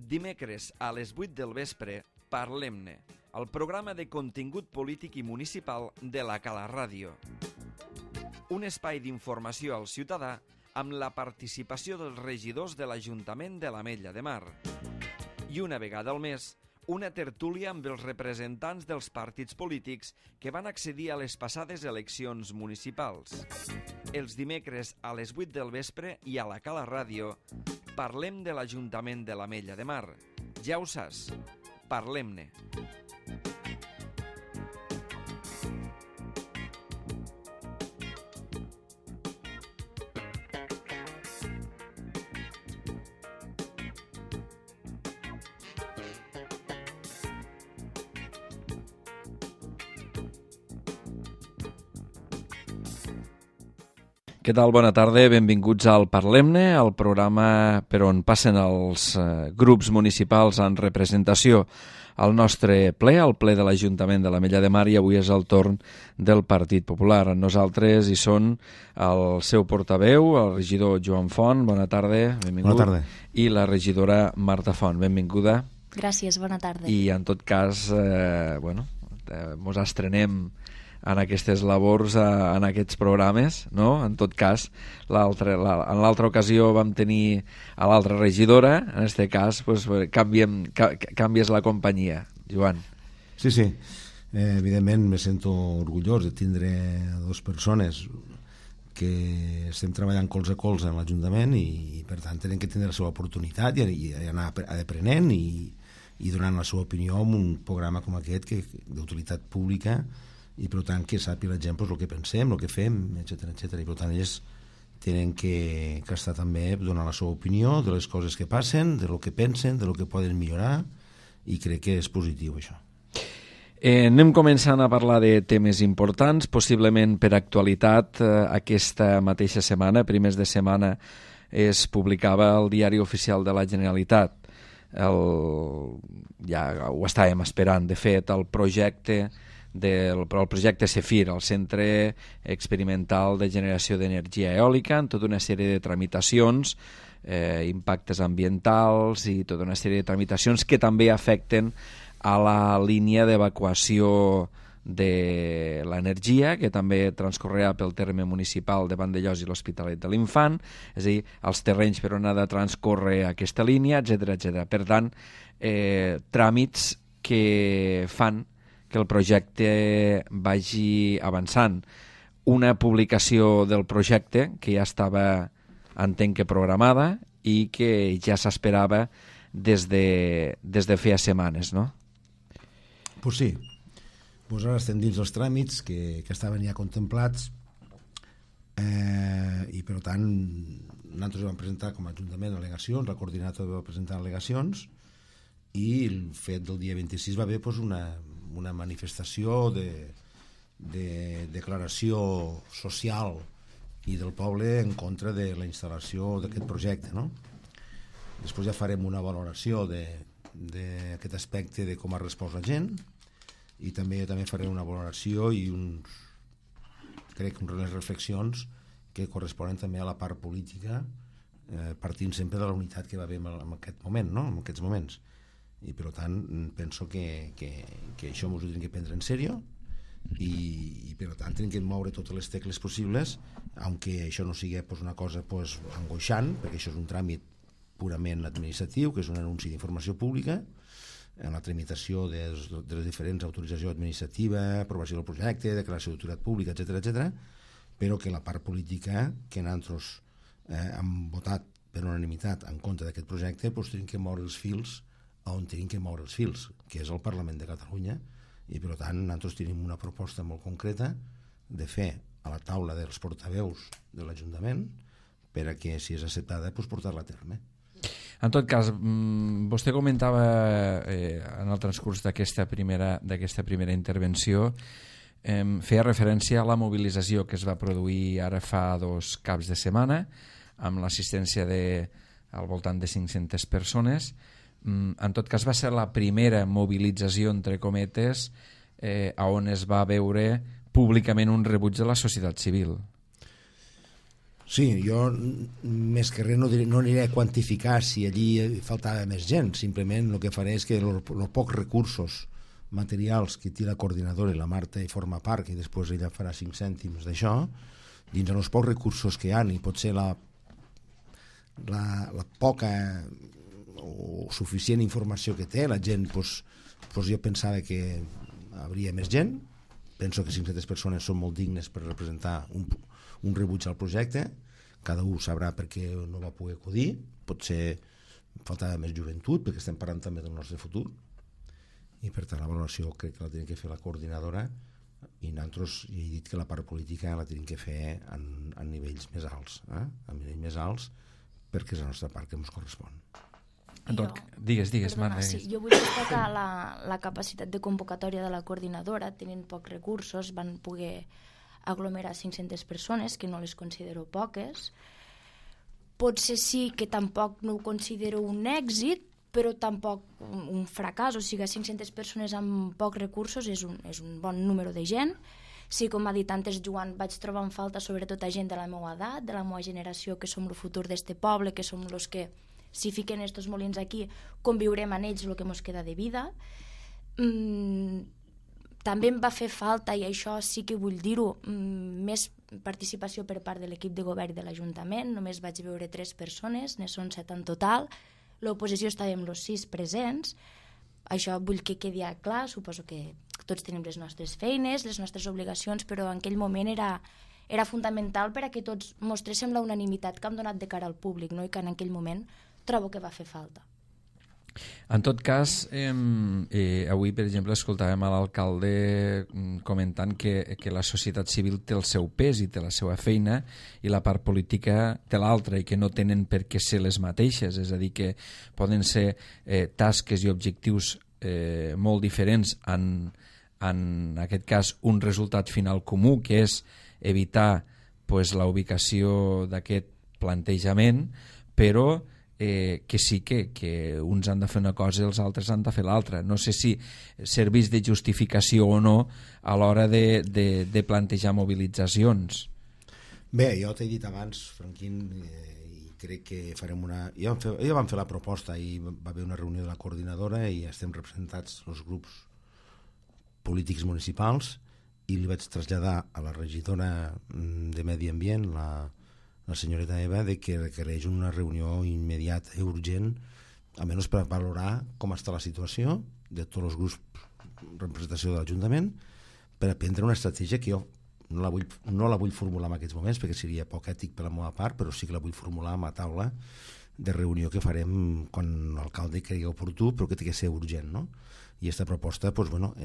dimecres a les 8 del vespre, Parlem-ne, el programa de contingut polític i municipal de la Cala Ràdio. Un espai d'informació al ciutadà amb la participació dels regidors de l'Ajuntament de l'Ametlla de Mar. I una vegada al mes, una tertúlia amb els representants dels partits polítics que van accedir a les passades eleccions municipals. Els dimecres a les 8 del vespre i a la Cala Ràdio parlem de l'Ajuntament de l'Ametlla de Mar. Ja ho saps, parlem-ne. Què tal? Bona tarda, benvinguts al Parlem-ne, el programa per on passen els grups municipals en representació al nostre ple, al ple de l'Ajuntament de l'Ametlla de Mar, i avui és el torn del Partit Popular. Nosaltres hi són el seu portaveu, el regidor Joan Font, bona tarda, benvingut. Bona tarda. I la regidora Marta Font, benvinguda. Gràcies, bona tarda. I en tot cas, mos estrenem en aquestes labors, en aquests programes, no? En tot cas, en l'altra ocasió vam tenir a l'altra regidora, en aquest cas pues, canvies la companyia, Joan. Sí. Evidentment me sento orgullós de tindre dues persones que estem treballant colze a colze en l'Ajuntament i per tant tenen que tindre la seva oportunitat i anar aprenent i donant la seva opinió en un programa com aquest d'utilitat pública i per tant que sàpiga la gent el que pensem, el que fem, etc. I per tant ells tenen que estar també donant la seva opinió de les coses que passen, de lo que pensen, de lo que poden millorar, i crec que és positiu això. Anem començant a parlar de temes importants, possiblement per actualitat. Aquesta mateixa setmana, primers de setmana, es publicava al Diari Oficial de la Generalitat. Ja ho estàvem esperant, de fet, el projecte CEFIR, el Centre Experimental de Generació d'Energia Eòlica, en tota una sèrie de tramitacions, impactes ambientals i tota una sèrie de tramitacions que també afecten a la línia d'evacuació de l'energia, que també transcorrerà pel terme municipal de Vandellòs i l'Hospitalet de l'Infant, és a dir, els terrenys per on ha de transcórrer aquesta línia, etc. Per tant, tràmits que fan que el projecte vagi avançant. Una publicació del projecte que ja estava, entenc que programada, i que ja s'esperava des de feia setmanes, no? Pues sí. Pues ara estem dins els tràmits que estaven ja contemplats i per tant nosaltres vam presentar com a Ajuntament al·legacions, la coordinadora va presentar al·legacions i el fet del dia 26 va haver pues, una manifestació de declaració social i del poble en contra de la instal·lació d'aquest projecte, no? Després ja farem una valoració d'aquest aspecte de com ha respost la gent i també faré una valoració i crec unes reflexions que corresponen també a la part política, partint sempre de la unitat que va haver en aquest moment, no? En aquests moments. I per tant penso que això ens ho tenim que prendre en sèrio i per tant tenim que moure totes les tecles possibles, aunque això no sigui pues, una cosa pues, angoixant, perquè això és un tràmit purament administratiu, que és un anunci d'informació pública en la tramitació de les diferents autoritzacions administrativa, aprovació del projecte, declaració d'utilitat pública, etc., però que la part política que nosaltres hem votat per unanimitat en contra d'aquest projecte pues, tenim que moure els fils on tenim que moure els fils, que és el Parlament de Catalunya, i per tant nosaltres tenim una proposta molt concreta de fer a la taula dels portaveus de l'Ajuntament per a que, si és acceptada, pues, portar-la a terme. En tot cas, vostè comentava en el transcurs d'aquesta primera intervenció, feia referència a la mobilització que es va produir ara fa 2 caps de setmana, amb l'assistència al voltant de 500 persones. En tot cas va ser la primera mobilització entre cometes on es va veure públicament un rebuig de la societat civil. Sí, jo més que res no aniré a quantificar si allí faltava més gent, simplement el que faré és que els pocs recursos materials que té la coordinadora i la Marta i forma part, i després ella farà 5 cèntims d'això, dins els pocs recursos que hi ha, i potser la poca o suficient informació que té la gent, doncs jo pensava que hi hauria més gent. Penso que 500 persones són molt dignes per representar un rebuig al projecte. Cada un sabrà per què no va poder acudir, potser faltava més joventut, perquè estem parlant també del nostre futur, i per tant la valoració crec que la tenim que fer la coordinadora, i nosaltres he dit que la part política la tenim que fer a nivells més alts, a nivells més alts, perquè és la nostra part que ens correspon. Digues, Marta. Sí, jo vull destacar la capacitat de convocatòria de la coordinadora. Tenint pocs recursos van poder aglomerar 500 persones, que no les considero poques. Potser sí que tampoc no ho considero un èxit, però tampoc un fracàs. O sigui, 500 persones amb pocs recursos és un bon número de gent. Sí, com ha dit antes Joan, vaig trobar en falta sobretot a gent de la meva edat, de la meva generació, que som el futur d'este poble, que som els que, si fiquen estos molins aquí, conviurem amb ells el que ens queda de vida. També em va fer falta, i això sí que vull dir-ho, més participació per part de l'equip de govern de l'Ajuntament. Només vaig veure 3 persones, ne són 7 en total. L'oposició estàvem els 6 presents. Això vull que quedi clar. Suposo que tots tenim les nostres feines, les nostres obligacions, però en aquell moment era fundamental per a que tots mostréssim la unanimitat que hem donat de cara al públic, no? I que en aquell moment trobo que va fer falta. En tot cas, avui, per exemple, escoltàvem a l'alcalde comentant que la societat civil té el seu pes i té la seva feina, i la part política té l'altra, i que no tenen per què ser les mateixes. És a dir, que poden ser tasques i objectius molt diferents en aquest cas un resultat final comú, que és evitar la ubicació d'aquest plantejament, però que sí que uns han de fer una cosa i els altres han de fer l'altra. No sé si serveix de justificació o no a l'hora de plantejar mobilitzacions. Bé, jo t'he dit abans, Franquín, i crec que farem una... Ja vam fer la proposta i va haver una reunió de la coordinadora i estem representats els grups polítics municipals, i li vaig traslladar a la regidora de Medi Ambient, la senyoreta Eva, de que requereix una reunió immediata i urgent, almenys per valorar com està la situació de tots els grups de representació de l'Ajuntament, per aprendre una estratègia que jo no la vull formular en aquests moments, perquè seria poc ètic per la meva part, però sí que la vull formular a la taula de reunió que farem quan l'alcalde cregui oportú, però que té que ser urgent, no? I aquesta proposta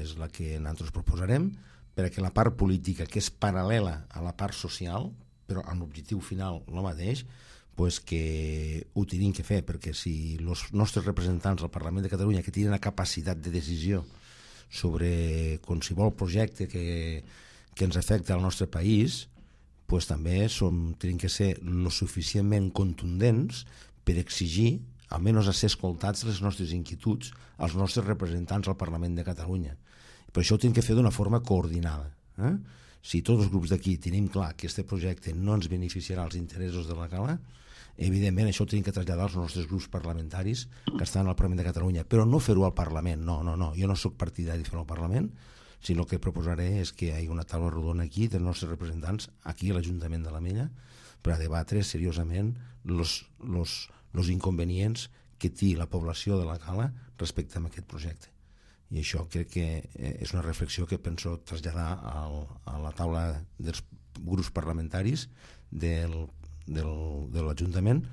és la que nosaltres proposarem, perquè la part política, que és paral·lela a la part social, però amb l'objectiu final el mateix, que ho tenim que fer, perquè si els nostres representants al Parlament de Catalunya, que tenen la capacitat de decisió sobre qualsevol projecte que ens afecta al nostre país, també tenim que ser lo suficientment contundents per exigir, almenys a ser escoltats les nostres inquietuds als nostres representants al Parlament de Catalunya. Per això ho tenim que fer d'una forma coordinada. Si tots els grups d'aquí tenim clar que aquest projecte no ens beneficiarà els interessos de la Cala, evidentment això ho tenim que traslladar als nostres grups parlamentaris que estan al Parlament de Catalunya, però no fer-ho al Parlament, no, jo no soc partidari de fer-ho al Parlament, sinó que proposaré és que hi hagi una taula rodona aquí dels nostres representants, aquí a l'Ajuntament de l'Ametlla, per a debatre seriosament els inconvenients que té la població de la Cala respecte a aquest projecte. I això crec que és una reflexió que penso traslladar a la taula dels grups parlamentaris de l'Ajuntament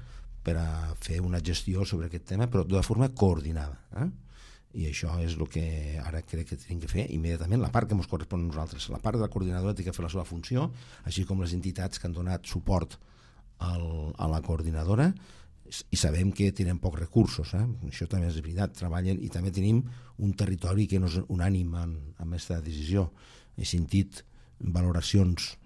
per a fer una gestió sobre aquest tema, però de forma coordinada. I això és el que ara crec que tenim que fer immediatament, la part que ens correspon a nosaltres. La part de la coordinadora té que fer la seva funció, així com les entitats que han donat suport a la coordinadora, i sabem que tenen pocs recursos, això també és veritat, treballen, i també tenim un territori que no és unànim amb aquesta decisió. He sentit valoracions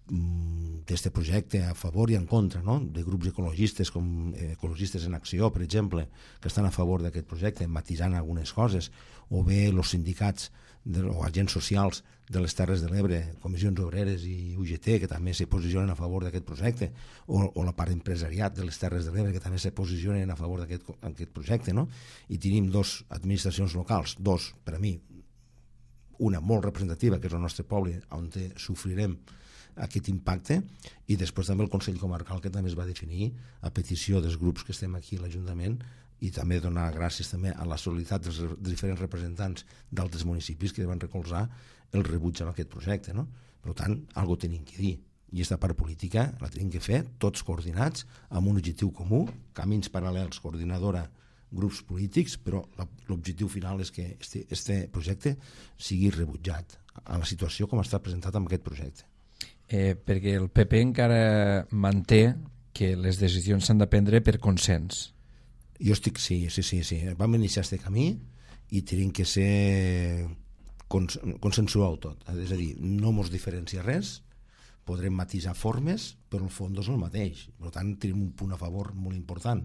d'aquest projecte a favor i en contra, no? De grups ecologistes com Ecologistes en Acció, per exemple, que estan a favor d'aquest projecte, matisant algunes coses, o bé els sindicats o agents socials de les Terres de l'Ebre, Comissions Obreres i UGT, que també se posicionen a favor d'aquest projecte, o la part empresariat de les Terres de l'Ebre, que també se posicionen a favor d'aquest projecte, no? I tenim dos administracions locals, dos, per a mi, una molt representativa, que és el nostre poble, on sofrirem aquest impacte, i després també el Consell Comarcal, que també es va definir a petició dels grups que estem aquí a l'Ajuntament, i també donar gràcies també a la solidaritat dels diferents representants d'altres municipis que van recolzar el rebuig a aquest projecte, no? Per tant, algo tenim que dir, i aquesta part política la tenim que fer tots coordinats amb un objectiu comú, camins paral·lels, coordinadora, grups polítics, però l'objectiu final és que este projecte sigui rebutjat a la situació com està presentat amb aquest projecte. Perquè el PP encara manté que les decisions s'han de prendre per consens. Jo estic, sí. Vam iniciar aquest camí i tenim que ser consensuar-ho tot. És a dir, no mos diferencia res, podrem matisar formes, però el fons és el mateix. Per tant, tenim un punt a favor molt important.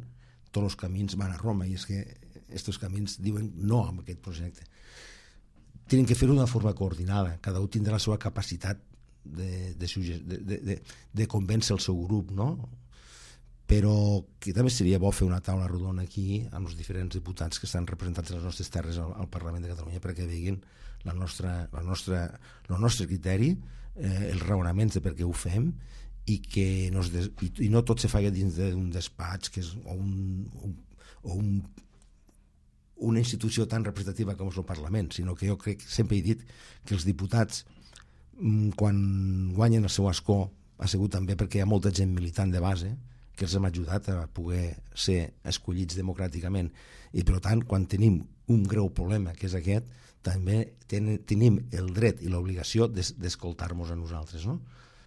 Tots els camins van a Roma, i és que aquests camins diuen no a aquest projecte. Tenim que fer-ho d'una forma coordinada, cada un tindrà la seva capacitat de convèncer el seu grup, no? Però que també seria bo fer una taula rodona aquí amb els diferents diputats que estan representats a les nostres terres al Parlament de Catalunya, perquè veguin el nostre criteri, els raonaments de per què ho fem, i que no tot se faci dins d'un despatx que és, o una institució tan representativa com és el Parlament, sinó que jo crec, sempre he dit que els diputats, quan guanyen el seu escó, ha sigut també perquè hi ha molta gent militant de base que els hem ajudat a poder ser escollits democràticament, i per tant, quan tenim un greu problema que és aquest, també tenim el dret i l'obligació d'escoltar-nos a nosaltres, no?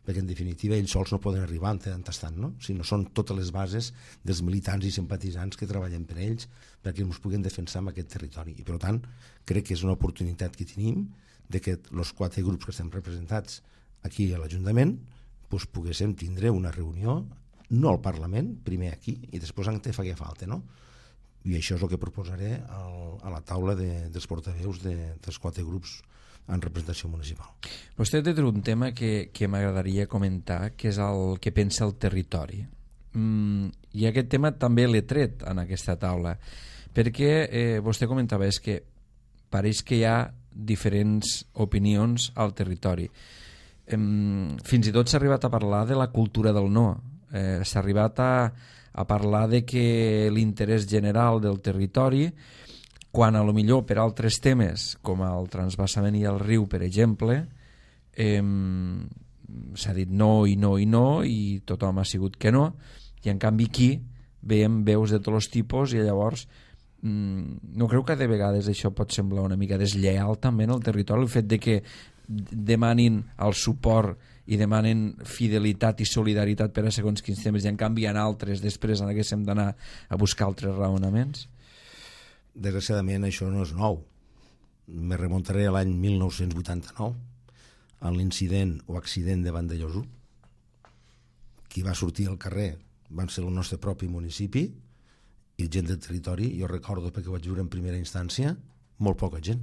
Perquè en definitiva ells sols no poden arribar en tant tastant, no? Sinó són totes les bases dels militants i simpatitzants que treballen per ells perquè ens puguen defensar en aquest territori, i per tant crec que és una oportunitat que tenim de que els 4 grups que estem representats aquí a l'Ajuntament doncs poguéssim tindre una reunió, no al Parlament, primer aquí i després en què faci falta, no? I això és el que proposaré a la taula dels portaveus dels 4 grups en representació municipal. Vostè té un tema que m'agradaria comentar, que és el que pensa el territori. I aquest tema també l'he tret en aquesta taula, perquè vostè comentava que pareix que hi ha diferents opinions al territori. Fins i tot s'ha arribat a parlar de la cultura del no. S'ha arribat a parlar de que l'interès general del territori, quan a lo millor per altres temes com el transvasament i el riu, per exemple, s'ha dit no i no i no i tothom ha sigut que no, i en canvi aquí veiem veus de tots els tipus, i llavors no creu que de vegades això pot semblar una mica deslleial també en el territori, el fet de que demanin el suport i demanen fidelitat i solidaritat per a segons quins temes, i en canvi en altres després en haguéssim d'anar a buscar altres raonaments? Desgraciadament això no és nou. Me remuntaré a l'any 1989, a l'incident o accident de Vandellòs. Qui va sortir al carrer van ser el nostre propi municipi i gent del territori. Jo recordo, perquè ho vaig viure en primera instància, molt poca gent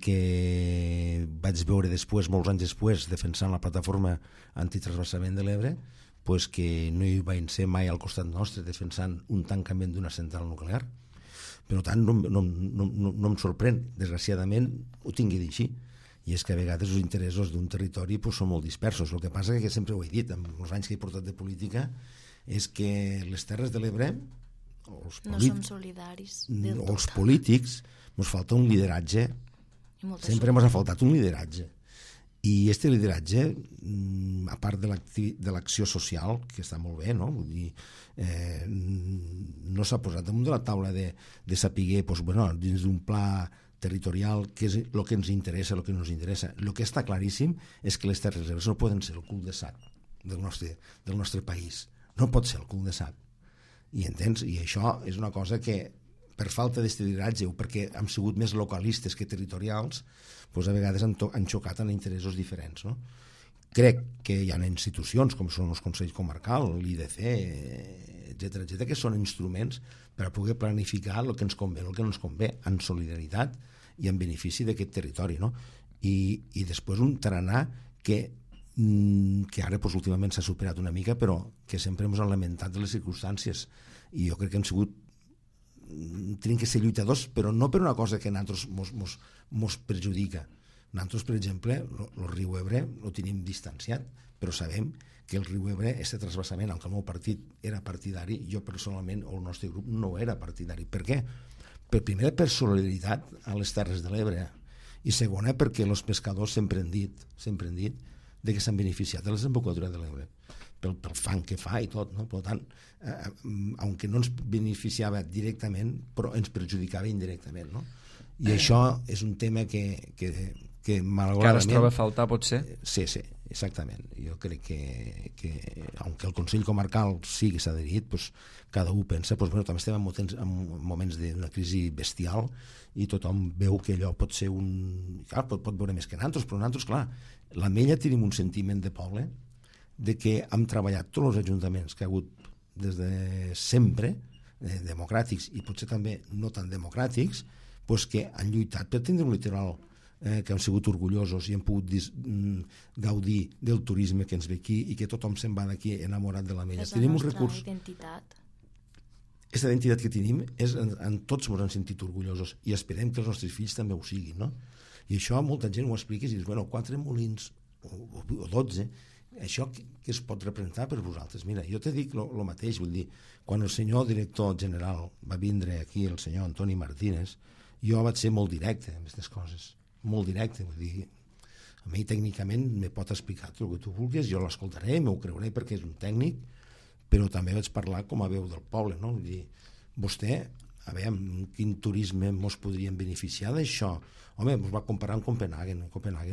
que vaig veure després, molts anys després, defensant la plataforma antitransvasament de l'Ebre, pues que no hi van ser mai al costat nostre defensant un tancament d'una central nuclear. Per tant, no em sorprèn, desgraciadament ho tingui dit així, i és que a vegades els interessos d'un territori pues, són molt dispersos. El que passa que sempre ho he dit, amb els anys que he portat de política, és que les Terres de l'Ebre no som solidaris del tot. O els polítics ens falta un lideratge, sempre ens ha faltat un lideratge, i aquest lideratge, a part de l'acció social, que està molt bé, no? Vull dir, no s'ha posat damunt de la taula de saber, doncs, bueno, dins d'un pla territorial, què és el que ens interessa, el que no ens interessa. El que està claríssim és que les Terres de l'Ebre no poden ser el cul de sac del nostre país, no pot ser el cul de sac, i entens? I això és una cosa que per falta d'aquest lideratge o perquè hem sigut més localistes que territorials, doncs a vegades han xocat en interessos diferents, no? crec que hi ha institucions com són els Consells Comarcals, l'IDC, etc., que són instruments per a poder planificar el que ens convé, el que no ens convé, en solidaritat i en benefici d'aquest territori, no? I després un tarannà que ara últimament s'ha superat una mica, però que sempre ens han lamentat de les circumstàncies, i jo crec que hem sigut tenim que ser lluitadors, però no per una cosa que a nosaltres mos perjudica. Nosaltres, per exemple, el riu Ebre el tenim distanciat, però sabem que el riu Ebre, aquest trasbassament, aunque el meu partit era partidari, jo personalment, o el nostre grup, no era partidari. Per què? Primer, per solidaritat a les Terres de l'Ebre, i segona, perquè els pescadors sempre han dit de que s'han beneficiat de la desembocadura de l'Ebre, pel fang que fa i tot, no? Per tant, aunque no ens beneficiava directament, però ens perjudicava indirectament, no? I això és un tema que malauradament... Que ara es troba a faltar, potser? Sí, exactament. Jo crec que aunque el Consell Comarcal sí que s'ha adherit, pues, cada un pensa, pues, bueno, també estem en moments d'una crisi bestial i tothom veu que allò pot ser un... Clar, pot veure més que nosaltres, però nosaltres, clar, l'Ametlla tenim un sentiment de poble de que hem treballat tots els ajuntaments que ha hagut des de sempre, democràtics i potser també no tan democràtics, pues que han lluitat per tindre un litoral que han sigut orgullosos i han pogut gaudir del turisme que ens ve aquí i que tothom se'n va d'aquí enamorat de l'Ametlla. Tenim un recurs... identitat. Aquesta identitat que tenim en tots ens han sentit orgullosos i esperem que els nostres fills també ho siguin, no? I això molta gent ho explica i dius, bueno, 4 molins o 12, això que es pot representar per vosaltres? Mira, jo te dic el mateix, vull dir, quan el senyor director general va vindre aquí, el senyor Antoni Martínez, jo vaig ser molt directe amb aquestes coses, molt directe, vull dir, a mi tècnicament me pot explicar tot el que tu vulguis, jo l'escoltaré, m'ho creuré perquè és un tècnic, però també vaig parlar com a veu del poble, no? Vull dir, vostè, a veure, quin turisme ens podríem beneficiar d'això? Home, ens va comparar amb Copenhagen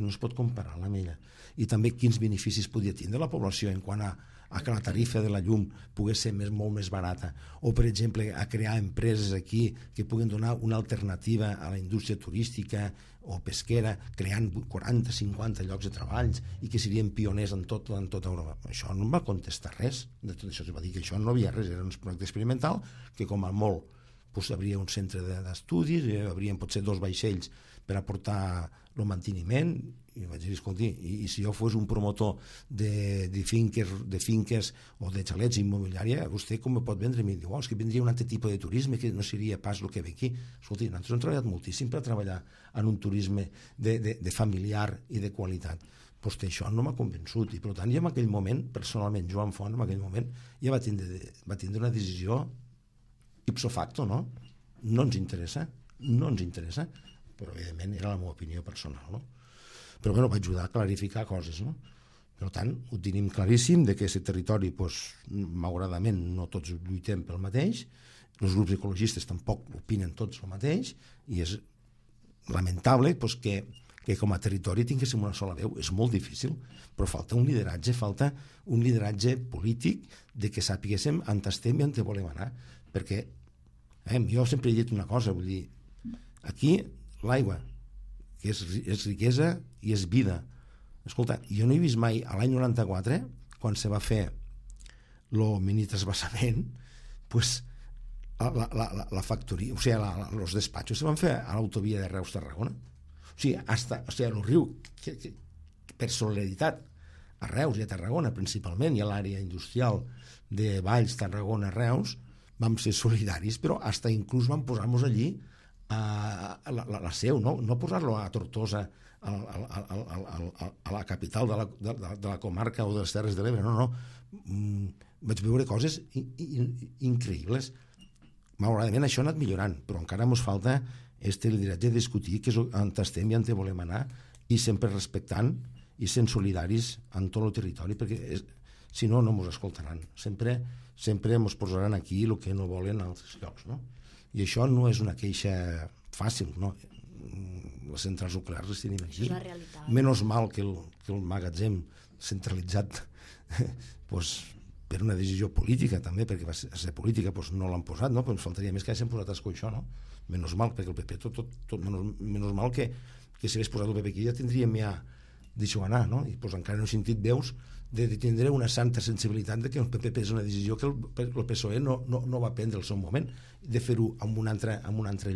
no es pot comparar amb l'Ametlla. I també quins beneficis podria tindre la població en quant a que la tarifa de la llum pogués ser molt més barata, o per exemple a crear empreses aquí que puguen donar una alternativa a la indústria turística o pesquera, creant 40-50 llocs de treballs i que serien pioners en tota Europa. Això no em va contestar res de tot això, es va dir que això no havia res, era un projecte experimental que com a molt pues, hi hauria un centre d'estudis, hi haurien potser 2 vaixells per aportar el manteniment, i vaig dir, escolti, i si jo fos un promotor de finques o de xalets immobiliària, vostè com me pot vendre? Mi diu, és que vindria un altre tipus de turisme que no seria pas el que ve aquí. Escolti, nosaltres hem treballat moltíssim per treballar en un turisme de familiar i de qualitat. Pues això no m'ha convençut, i per tant, jo en aquell moment, personalment, Joan Font, en aquell moment, ja va tindre una decisió ipso facto, no? No ens interessa, però evidentment era la meva opinió personal, no? Però bueno, va ajudar a clarificar coses, no? Per tant, ho tenim claríssim de que aquest territori, doncs, malauradament, no tots lluitem pel mateix, els grups ecologistes tampoc opinen tots el mateix, i és lamentable doncs, que com a territori tinguéssim una sola veu. És molt difícil, però falta un lideratge polític de que sapiguéssim on estem i on volem anar, perquè jo sempre he dit una cosa, vull dir, aquí l'aigua, que és riquesa i és vida. Escolta, jo no he vist mai, a l'any 94, quan se va fer el mini trasbassament, pues, la factoria, o sigui, els despatxos se van fer a l'autovia de Reus-Tarragona. O sigui, el riu, per solidaritat, a Reus i a Tarragona principalment, i a l'àrea industrial de Valls, Tarragona, Reus, vam ser solidaris, però fins inclús vam posar-nos allí a la seu, no posar-lo a Tortosa, a la capital de la comarca o de les Terres de l'Ebre, no. Vaig veure coses increïbles. Malauradament això ha anat millorant, però encara ens falta este lideratge de discutir que és on estem i on volem anar, i sempre respectant i sent solidaris en tot el territori, perquè si no, no ens escoltaran. Sempre ens posaran aquí el que no volen a altres llocs, no? I això no és una queixa fàcil, no? Les centrals nuclears les tenim aquí. Això és la realitat. Menys mal que el magatzem centralitzat per una decisió política també, perquè va ser política, no l'han posat, no? Però ens faltaria més que hagin posat això, no? Menys mal, perquè el PP menys mal que si hagués posat el PP aquí ja tindríem ja deixo anar, no? I pues, encara no he sentit veus de tindre una santa sensibilitat de que el PP és una decisió que el PSOE no va prendre al seu moment, de fer-ho en un altre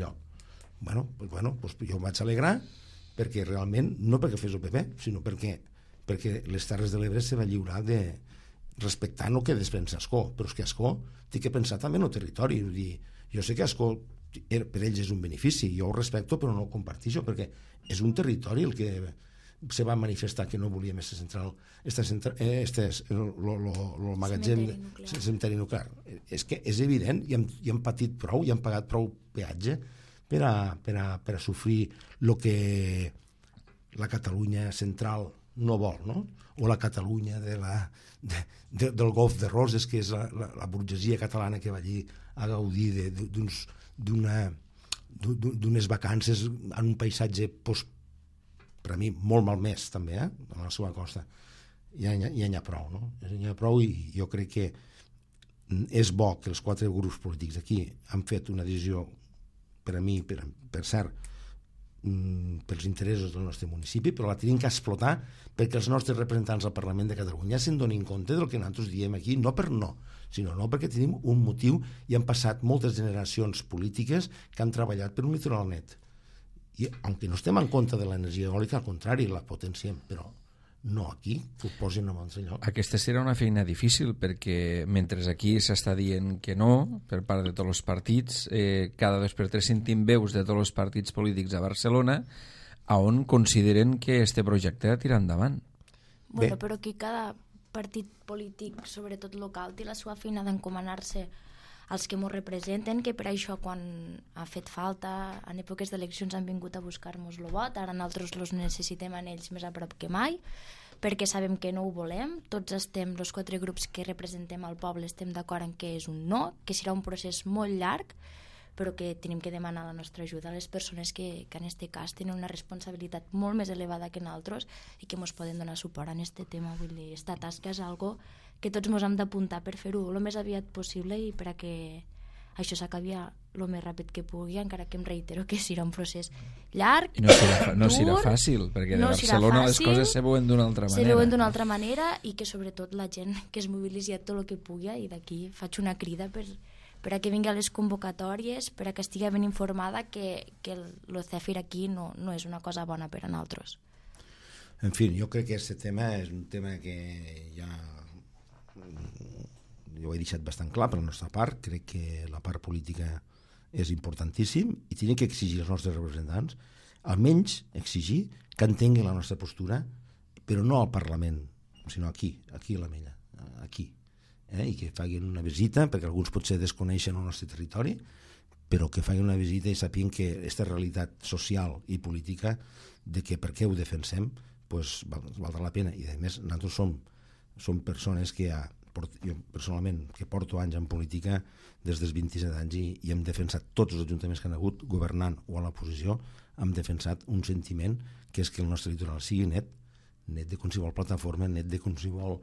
lloc. Pues jo em vaig alegrar perquè realment, no perquè fes el PP, sinó perquè les Terres de l'Ebre se va lliurar de respectant el que despensa Ascó, però és que Ascó té que pensar també en el territori. Vull dir, jo sé que Ascó per ells és un benefici, jo ho respecto però no ho comparteixo, perquè és un territori el que se va manifestar que no volia més central, el magatzem cementeri nuclear. És que és evident, i hem patit prou, i hem pagat prou peatge per a sofrir el que la Catalunya central no vol, no? O la Catalunya del Golf de Roses, que és la burgesia catalana que va allí a gaudir d'unes vacances en un paisatge per a mi molt malmès també, a la seva costa. Ja n'hi ha prou, no? N'hi ha prou, i jo crec que és bo que els 4 grups polítics aquí han fet una decisió, per a mi, per cert, pels interessos del nostre municipi, però la tenim que explotar perquè els nostres representants al Parlament de Catalunya se'n donin compte del que nosaltres diem aquí, no per no, sinó perquè tenim un motiu i han passat moltes generacions polítiques que han treballat per un litoral net. I, aunque no estem en contra de l'energia eòlica, al contrari, la potenciem, però no aquí, que ho posin en un altre lloc. Aquesta serà una feina difícil, perquè mentre aquí s'està dient que no, per part de tots els partits, cada 2 per 3 sentim veus de tots els partits polítics a Barcelona on consideren que este projecte ha tirat endavant. Bueno, però aquí cada partit polític, sobretot local, té la seva feina d'encomanar-se als que ens representen, que per això quan ha fet falta, en èpoques d'eleccions han vingut a buscar-nos el vot, ara nosaltres els necessitem a ells més a prop que mai, perquè sabem que no ho volem, tots estem, els 4 grups que representem al poble, estem d'acord en que és un no, que serà un procés molt llarg, però que tenim que demanar la nostra ajuda a les persones que en aquest cas tenen una responsabilitat molt més elevada que nosaltres i que ens poden donar suport en aquest tema. Vull dir, esta tasca és algo que tots ens hem d'apuntar per fer-ho el més aviat possible i per a que això s'acabi el més ràpid que pugui, encara que em reitero que serà un procés llarg, i no serà fàcil, perquè de Barcelona les coses se veuen d'una altra manera. Se veuen d'una altra manera i que sobretot la gent que es mobilitzi tot el que pugui, i d'aquí faig una crida per a que vingui a les convocatòries, per a que estigui ben informada que el CEFIR aquí no és una cosa bona per a nosaltres. En fi, jo crec que aquest tema és un tema que ja jo ho he deixat bastant clar per la nostra part. Crec que la part política és importantíssim i tenim que exigir als nostres representants, almenys exigir que entenguin la nostra postura, però no al Parlament, sinó aquí a l'Ametlla, aquí. I que facin una visita, perquè alguns potser desconeixen el nostre territori, però que facin una visita i sàpiguen que aquesta realitat social i política de que per què ho defensem pues, valdrà la pena. I a més nosaltres som persones que jo personalment que porto anys en política des dels 27 anys i hem defensat tots els ajuntaments que han hagut governant o a l'oposició, hem defensat un sentiment que és que el nostre litoral sigui net de qualsevol plataforma, net de qualsevol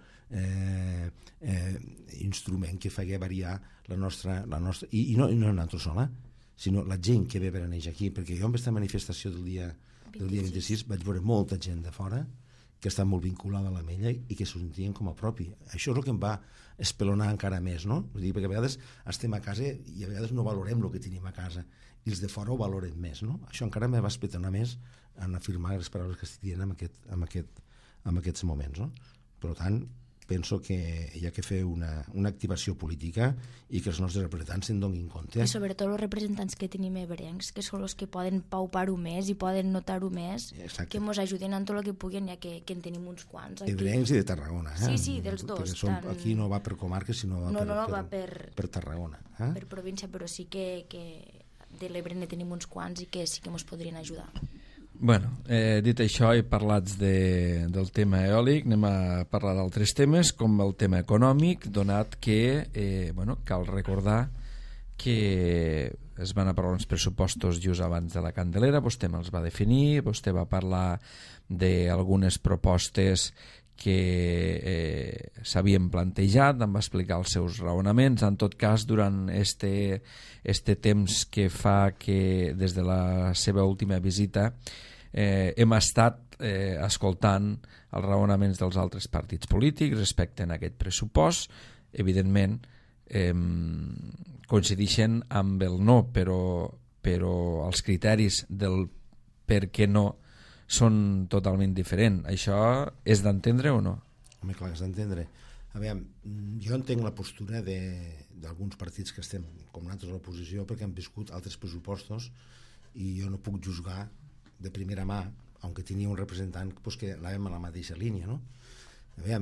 instrument que faci variar la nostra i no nosaltres sola, sinó la gent que ve per anar aquí, perquè jo amb aquesta manifestació del dia 26 vaig veure molta gent de fora que està molt vinculada a l'Ametlla i que s'ho sentien com a propi. Això és el que em va espelonar encara més, no? Vull dir, perquè a vegades estem a casa i a vegades no valorem el que tenim a casa i els de fora ho valoren més, no? Això encara me va espelonar més en afirmar les paraules que estic dient en aquests moments, no? Per tant, penso que hi ha que fer una activació política i que els nostres representants se'n donin compte. I sobretot els representants que tenim ebrencs, que són els que poden paupar-ho més i poden notar-ho més, que ens ajuden en tot el que puguin, ja que en tenim uns quants. Ebrencs i de Tarragona. Sí, dels dos. Aquí no va per comarques, sinó va per Tarragona. Per província, però sí que de l'Ebre ne tenim uns quants i que sí que ens podrien ajudar. Bueno, dit això i parlats del tema eòlic, anem a parlar d'altres temes com el tema econòmic, donat que cal recordar que es van aprovar uns pressupostos just abans de la Candelera, vostè me'ls va definir, vostè va parlar d'algunes propostes que s'havien plantejat, em va explicar els seus raonaments. En tot cas, durant este temps que fa que des de la seva última visita hem estat escoltant els raonaments dels altres partits polítics respecte a aquest pressupost. Evidentment coincideixen amb el no, però els criteris del per què no són totalment diferents. Això és d'entendre o no? Home, clar que és d'entendre. A veure, jo entenc la postura d'alguns partits que estem com nosaltres a l'oposició perquè han viscut altres pressupostos i jo no puc juzgar de primera mà, aunque tenia un representant pues, que anàvem a la mateixa línia, no? A veure,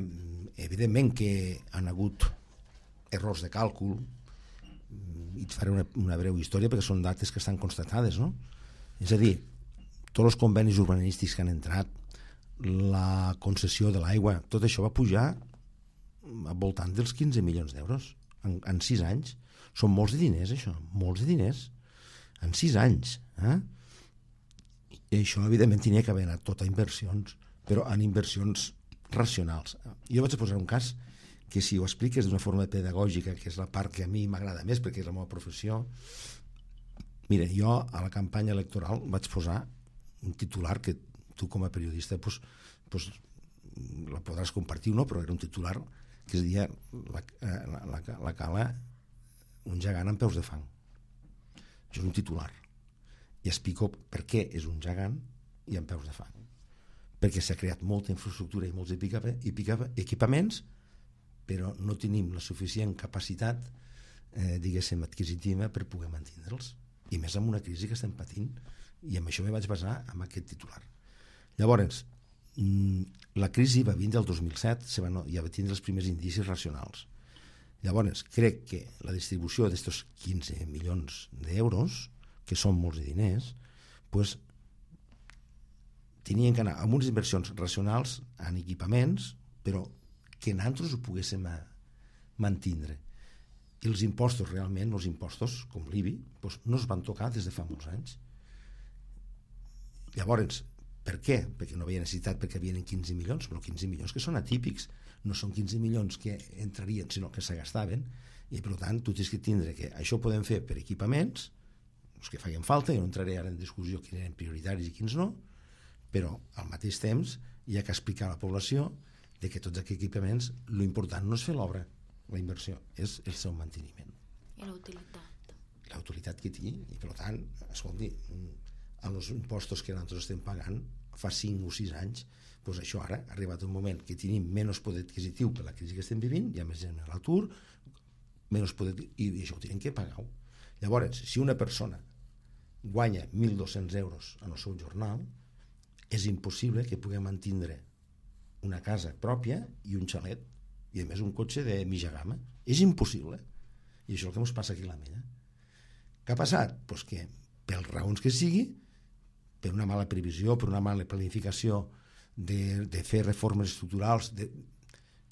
evidentment que han hagut errors de càlcul i et faré una breu història perquè són dates que estan constatades, no? És a dir, tots els convenis urbanístics que han entrat, la concessió de l'aigua, tot això va pujar al voltant dels 15 milions d'euros en 6 anys. Són molts de diners, això, molts de diners en 6 anys. I això, evidentment, tenia que haver anat tot a inversions, però en inversions racionals. Jo vaig posar un cas que si ho expliques d'una forma pedagògica, que és la part que a mi m'agrada més perquè és la meva professió. Mira, jo a la campanya electoral vaig posar un titular que tu com a periodista pues, la podràs compartir o no, però era un titular que es deia la Cala, un gegant amb peus de fang. Això és un titular. I explico per què és un gegant i amb peus de fang. Perquè s'ha creat molta infraestructura i molts equipaments, però no tenim la suficient capacitat diguéssim adquisitiva per poder mantindre'ls, i més amb una crisi que estem patint, i amb això me vaig basar en aquest titular. Llavors, la crisi va vindre el 2007, ja va tindre els primers indicis racionals. Llavors, crec que la distribució d'estos 15 milions d'euros, que són molts de diners, pues, tenien que anar amb unes inversions racionals en equipaments, però que nosaltres ho poguéssim mantindre. I els impostos, realment, els impostos, com l'IBI, doncs, no es van tocar des de fa molts anys. Llavors, per què? Perquè no havia necessitat, perquè havien 15 milions, però 15 milions que són atípics, no són 15 milions que entrarien, sinó que se gastaven, i per tant tu tens que tindre que això ho podem fer per equipaments, els que feien falta, jo no entraré ara en discussió quins eren prioritaris i quins no, però al mateix temps hi ha que explicar a la població de que tots aquests equipaments, l'important no és fer l'obra, la inversió, és el seu manteniment. I la utilitat. La utilitat que té, i per tant, escolti, amb els impostos que nosaltres estem pagant fa 5 o 6 anys, doncs això ara ha arribat un moment que tenim menys poder adquisitiu per la crisi que estem vivint, hi ha més gent a l'atur, menys poder, i això ho tenen que pagar. Llavors, si una persona guanya 1.200 euros en el seu jornal, és impossible que pugui mantindre una casa pròpia i un xalet, i a més un cotxe de mitja gamma. És impossible. I això és el que ens passa aquí a la Mella. Què ha passat? Pues que, per raons que sigui, per una mala previsió, per una mala planificació de fer reformes estructurals,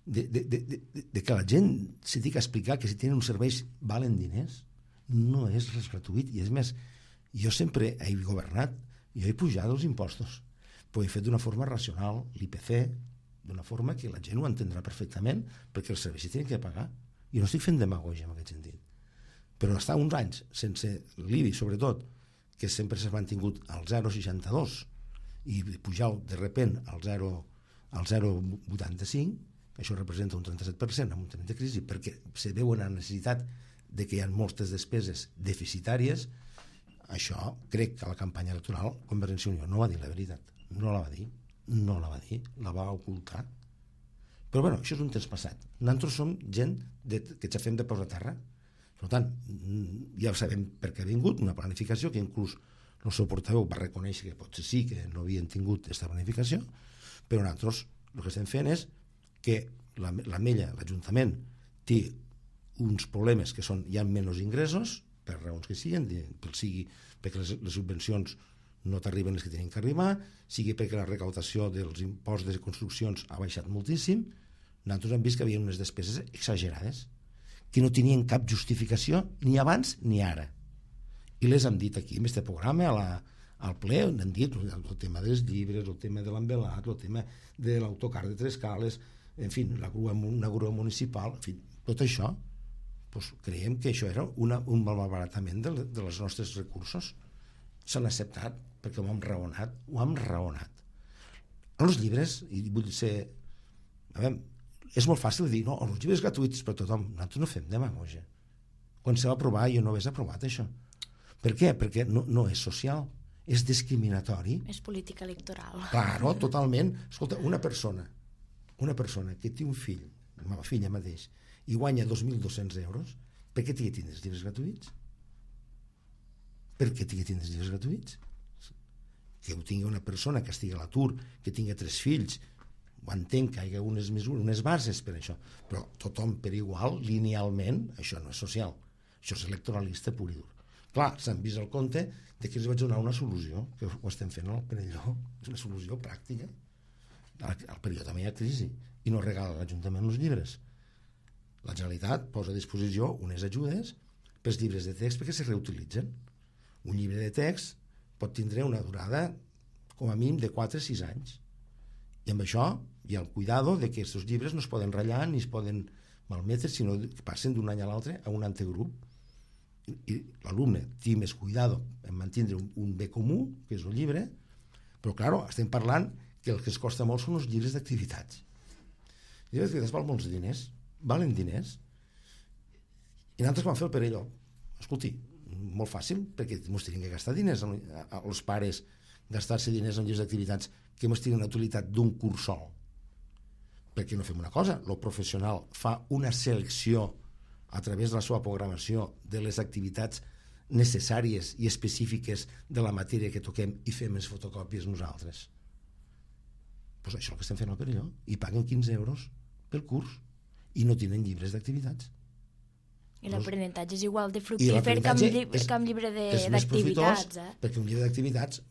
de que la gent se tingui que explicar que si tenen uns serveis valen diners, no és res gratuït. I és més, jo sempre he governat, jo he pujat els impostos, però he fet d'una forma racional, l'IPC, d'una forma que la gent ho entendrà perfectament, perquè els serveis s'hi tenen que pagar. I no estic fent demagògia en aquest sentit. Però estar uns anys sense l'IBI, sobretot, que sempre s'ha mantingut al 0,62 i pujar de repent al 0,85, això representa un 37% en un temps de crisi, perquè se veu una necessitat de que hi ha moltes despeses deficitàries. Això crec que a la campanya electoral Convergència i Unió no va dir la veritat, no la va dir, la va ocultar. Però bueno, això és un temps passat. Nosaltres som gent que ens fem de peus a terra. Per tant, ja sabem per què ha vingut, una planificació que inclús el seu portaveu va reconèixer que potser sí que no havien tingut aquesta planificació, però nosaltres el que estem fent és que la Mella, l'Ajuntament, té uns problemes que són hi ha menys ingressos, per raons que siguin, perquè les subvencions no t'arriben les que tenen que arribar, sigui perquè la recaudació dels impostos de construccions ha baixat moltíssim. Nosaltres hem vist que hi havia unes despeses exagerades que no tenien cap justificació ni abans ni ara, i les hem dit aquí en aquest programa al ple, on hem dit el tema dels llibres, el tema de l'envelat, el tema de l'autocar de Trescales, en fi, una grua municipal, en fi, tot això, doncs creiem que això era un malbaratament dels nostres recursos. S'han acceptat perquè ho hem raonat. En els llibres, i vull ser... A veure, és molt fàcil dir, no, els llibres gratuïts per tothom. Nosaltres no fem demagògia. Quan se va aprovar jo no hagués aprovat això. Per què? Perquè no és social, és discriminatori. És política electoral. Claro, totalment. Escolta, una persona que té un fill, la meva filla mateix, i guanya 2.200 euros, per què tingui tindre els llibres gratuïts? Per què tingui tindre els llibres gratuïts? Que ho tingui una persona que estigui a l'atur, que tingui 3 fills, ho entenc que hi ha unes mesures, unes bases per això, però tothom per igual, linealment, això no és social, això és electoralista pur i dur. Clar, s'han vist el compte de que els vaig donar una solució, que ho estem fent al Perelló, és una solució pràctica. Al Perelló també hi ha crisi, i no regala l'Ajuntament els llibres. La Generalitat posa a disposició unes ajudes pels llibres de text perquè se reutilitzen. Un llibre de text pot tindre una durada com a mínim de 4 a 6 anys. I amb això hi ha el cuidado de que aquests llibres no es poden ratllar ni es poden malmetre, sinó que passen d'un any a l'altre a un antegrup. I l'alumne té més cuidado en mantenir un bé comú, que és el llibre, però, clar, estem parlant que el que es costa molt són els llibres d'activitats. Els llibres d'activitats valen diners, i nosaltres vam fer el Perelló. Escolti, molt fàcil, perquè ens tenen que gastar diners els pares, gastar-se diners en llibres d'activitats que ens tenen la utilitat d'un curs sol. Perquè no fem una cosa, el professional fa una selecció a través de la seva programació de les activitats necessàries i específiques de la matèria que toquem i fem les fotocòpies nosaltres. Doncs això és el que estem fent al Perelló, i paguen 15 euros pel curs i no tenen llibres d'activitats. I l'aprenentatge és igual de fructífer que amb llibre d'activitats. Perquè un llibre d'activitats,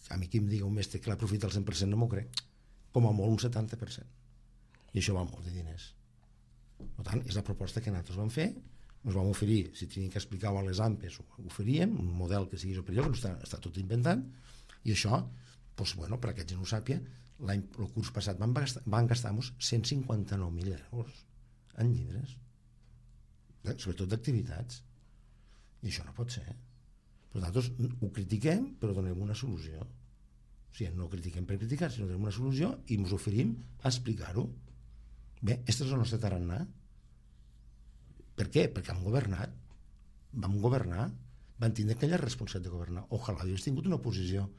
a mi qui em diga un mestre que l'aprofita al 100% no m'ho crec, com a molt un 70%. I això va molt de diners. Per tant, és la proposta que nosaltres vam fer, ens vam oferir, si teníem que explicar-ho a les AMPES, ho oferíem, un model que sigui superior, que està tot inventant, i això, doncs, bueno, per a que gent ho sàpia, el curs passat van gastar-nos 159.000 euros en llibres, sobretot d'activitats, i això no pot ser. Però nosaltres ho critiquem, però donem una solució. O sigui, no critiquem per criticar, sinó donem una solució i ens oferim a explicar-ho. Bé, aquest és el nostre tarannà. Per què? Perquè vam governar, vam tindre aquella responsabilitat de governar. Ojalà hagués tingut una posició,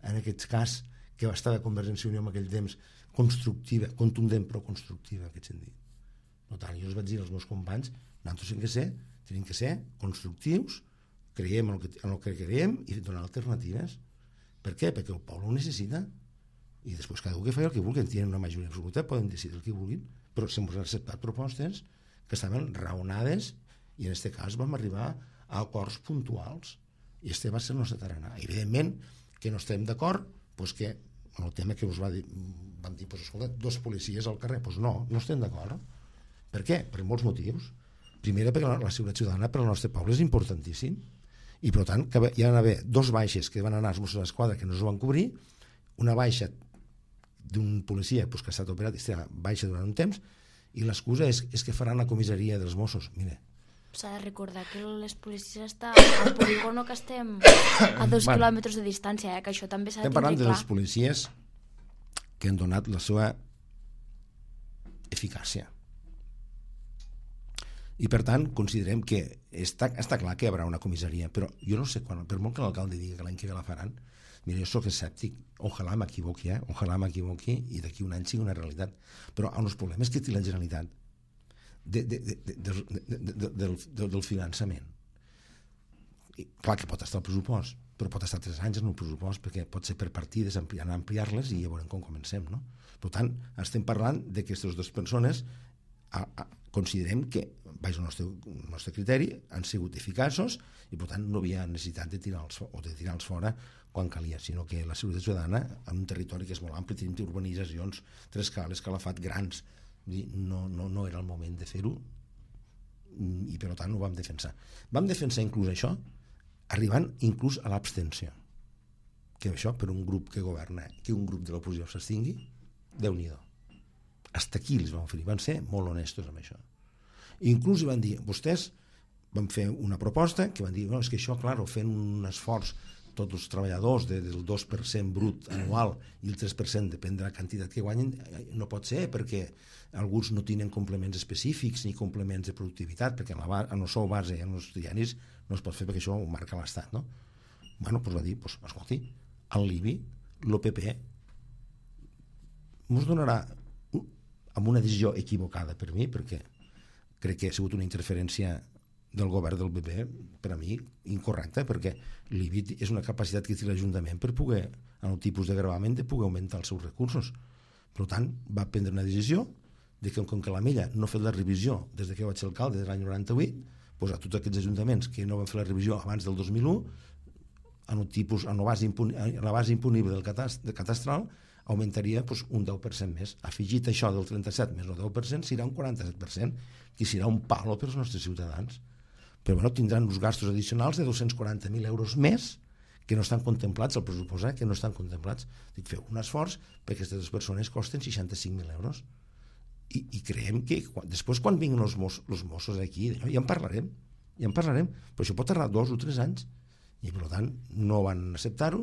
en aquest cas, que va estar de Convergència i Unió en aquell temps, constructiva, contundent però constructiva, en aquest sentit. Per tant, jo els vaig dir als meus companys, nosaltres tenim que ser constructius, creiem en el que creiem i donar alternatives. Per què? Perquè el poble ho necessita. I després cada un que faci el que vulgui, tenen una majoria absoluta, poden decidir el que vulguin, però s'han acceptat propostes que estaven raonades i en aquest cas vam arribar a acords puntuals i este va ser el nostre tarannà. Evidentment que no estem d'acord, doncs que en el tema que us van dir, escolta, 2 policies al carrer, doncs no estem d'acord. Per què? Per molts motius. Primer, perquè la seguretat ciutadana per al nostre poble és importantíssim i per tant que hi van haver 2 baixes que van anar als Mossos d'Esquadra que no es van cobrir, una baixa d'un policia que ha estat operat i està baixa durant un temps, i l'excusa és que faran la comissaria dels Mossos. Mira, s'ha de recordar que les policies estan al polígono, que estem a 2 quilòmetres de distància, que això també s'ha de estem parlant tindre clar. de les policies que han donat la seva eficàcia. I per tant considerem que està clar que hi haurà una comissaria, però jo no sé quan, per molt que l'alcalde digui que l'any que ve la faran, mira, jo soc escèptic, ojalà m'equivoqui, i d'aquí un any sigui una realitat, però amb els problemes que té la Generalitat del finançament, i clar que pot estar el pressupost, però pot estar 3 anys en un pressupost, perquè pot ser per partides, ampliar-les i ja veurem com comencem, no? Per tant, estem parlant de que aquestes 2 persones considerem que, baix al nostre criteri, han sigut eficaços i per tant no hi havia necessitat de tirar-los fora quan calia, sinó que la seguretat ciutadana en un territori que és molt ampli, tenim urbanitzacions, 3 cales, calafat, grans, no era el moment de fer-ho i per tant ho vam defensar. Vam defensar inclús això arribant inclús a l'abstenció, que això per un grup que governa, que un grup de l'oposició s'abstingui, Déu-n'hi-do. Hasta aquí els van oferir, van ser molt honestos amb això. Inclús van dir, vostès van fer una proposta que van dir, no, és que això, clar, fent un esforç tots els treballadors del 2% brut anual i el 3% depèn de la quantitat que guanyen, no pot ser, perquè alguns no tenen complements específics ni complements de productivitat, perquè en el sou base i en els diaris no es pot fer, perquè això ho marca l'Estat, no? Bueno, doncs va dir, escolti, el l'IBI, l'OPP ens donarà amb una decisió equivocada per mi, perquè crec que ha sigut una interferència del govern del PP, per a mi, incorrecta, perquè l'IBI és una capacitat que té l'Ajuntament per poder, en el tipus de gravament, de poder augmentar els seus recursos. Per tant, va prendre una decisió de que, com que la Mella no ha fet la revisió des que vaig ser alcalde de l'any 98, doncs a tots aquests ajuntaments que no van fer la revisió abans del 2001, en la base imponible del catastral, augmentaria un 10% més. Afegit això del 37 més el 10%, serà un 47%, que serà un palo per als nostres ciutadans. Però bueno, tindran uns gastos addicionals de 240.000 euros més que no estan contemplats, el pressupost, que no estan contemplats. Dic, feu un esforç perquè aquestes persones costen 65.000 euros. I creiem que després, quan vinguin els Mossos aquí, ja en parlarem, però això pot tardar 2 o 3 anys, i per tant no van acceptar-ho.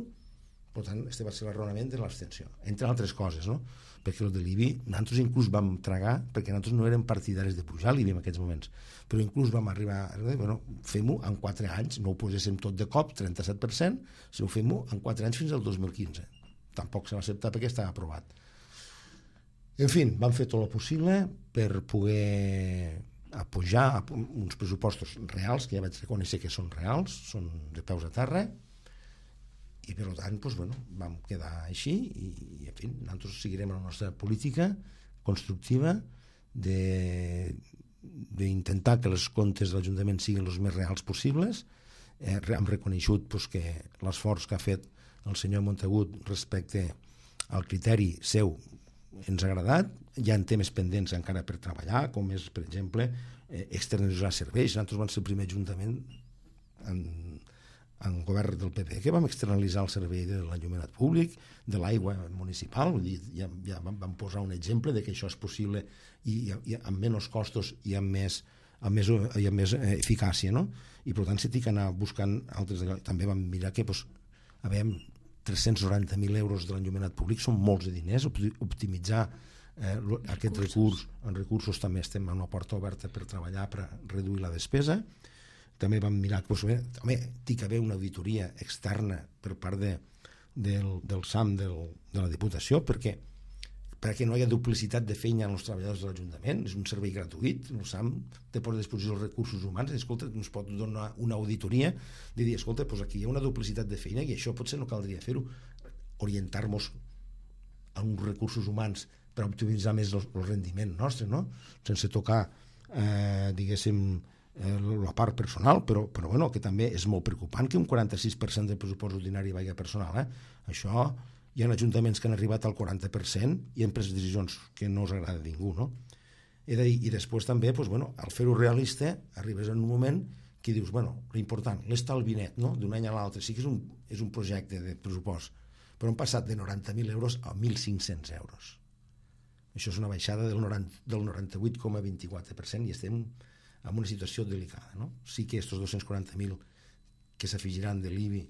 Per tant, este va ser l'erronament de l'abstenció, entre altres coses, no? Perquè el de l'IBI, nosaltres inclús vam tragar, perquè nosaltres no érem partidaris de pujar l'IBI en aquests moments, però inclús vam arribar a dir, bueno, fem-ho en 4 anys, no ho poséssim tot de cop, 37%, si ho fem-ho en 4 anys fins al 2015. Tampoc se va acceptar perquè estava aprovat. En fi, vam fer tot el possible per poder apujar uns pressupostos reals, que ja vaig reconèixer que són reals, són de peus a terra, i per tant vam quedar així i en fi, nosaltres seguirem la nostra política constructiva d'intentar que els comptes de l'Ajuntament siguin els més reals possibles. Hem reconegut que l'esforç que ha fet el senyor Montagut respecte al criteri seu ens ha agradat. Hi ha temes pendents encara per treballar, com és, per exemple, externalitzar serveis. Nosaltres vam ser el primer ajuntament en govern del PP que vam externalitzar el servei de l'enllumenat públic, de l'aigua municipal. Vull dir, ja vam posar un exemple de que això és possible i amb menys costos i amb més eficàcia, no? I per tant s'ha que anar buscant altres. També vam mirar que 390.000 euros de l'enllumenat públic són molts de diners. Optimitzar aquest recurs en recursos, també estem en una porta oberta per treballar, per reduir la despesa. També vam mirar que també té que haver una auditoria externa per part del SAM de la Diputació, perquè no hi ha duplicitat de feina en els treballadors de l'Ajuntament. És un servei gratuït, el SAM té per disposició els recursos humans. Escolta, ens pot donar una auditoria de dir, escolta, aquí hi ha una duplicitat de feina i això potser no caldria fer-ho, orientar-nos a uns recursos humans per optimitzar més el rendiment nostre, no? Sense tocar, diguéssim, la part personal, però bueno, que també és molt preocupant que un 46% del pressupost ordinari vagi a personal. Això hi ha ajuntaments que han arribat al 40% i han pres decisions que no us agrada a ningú, no? He de dir, i després també, al fer-ho realista, arribes en un moment que dius, l'important, l'estalvi net, no? D'un any a l'altre, sí que és un projecte de pressupost, però hem passat de 90.000 euros a 1.500 euros. Això és una baixada del 98,24% i estem en una situació delicada, no? Sí que aquests 240.000 que s'afegiran de l'IBI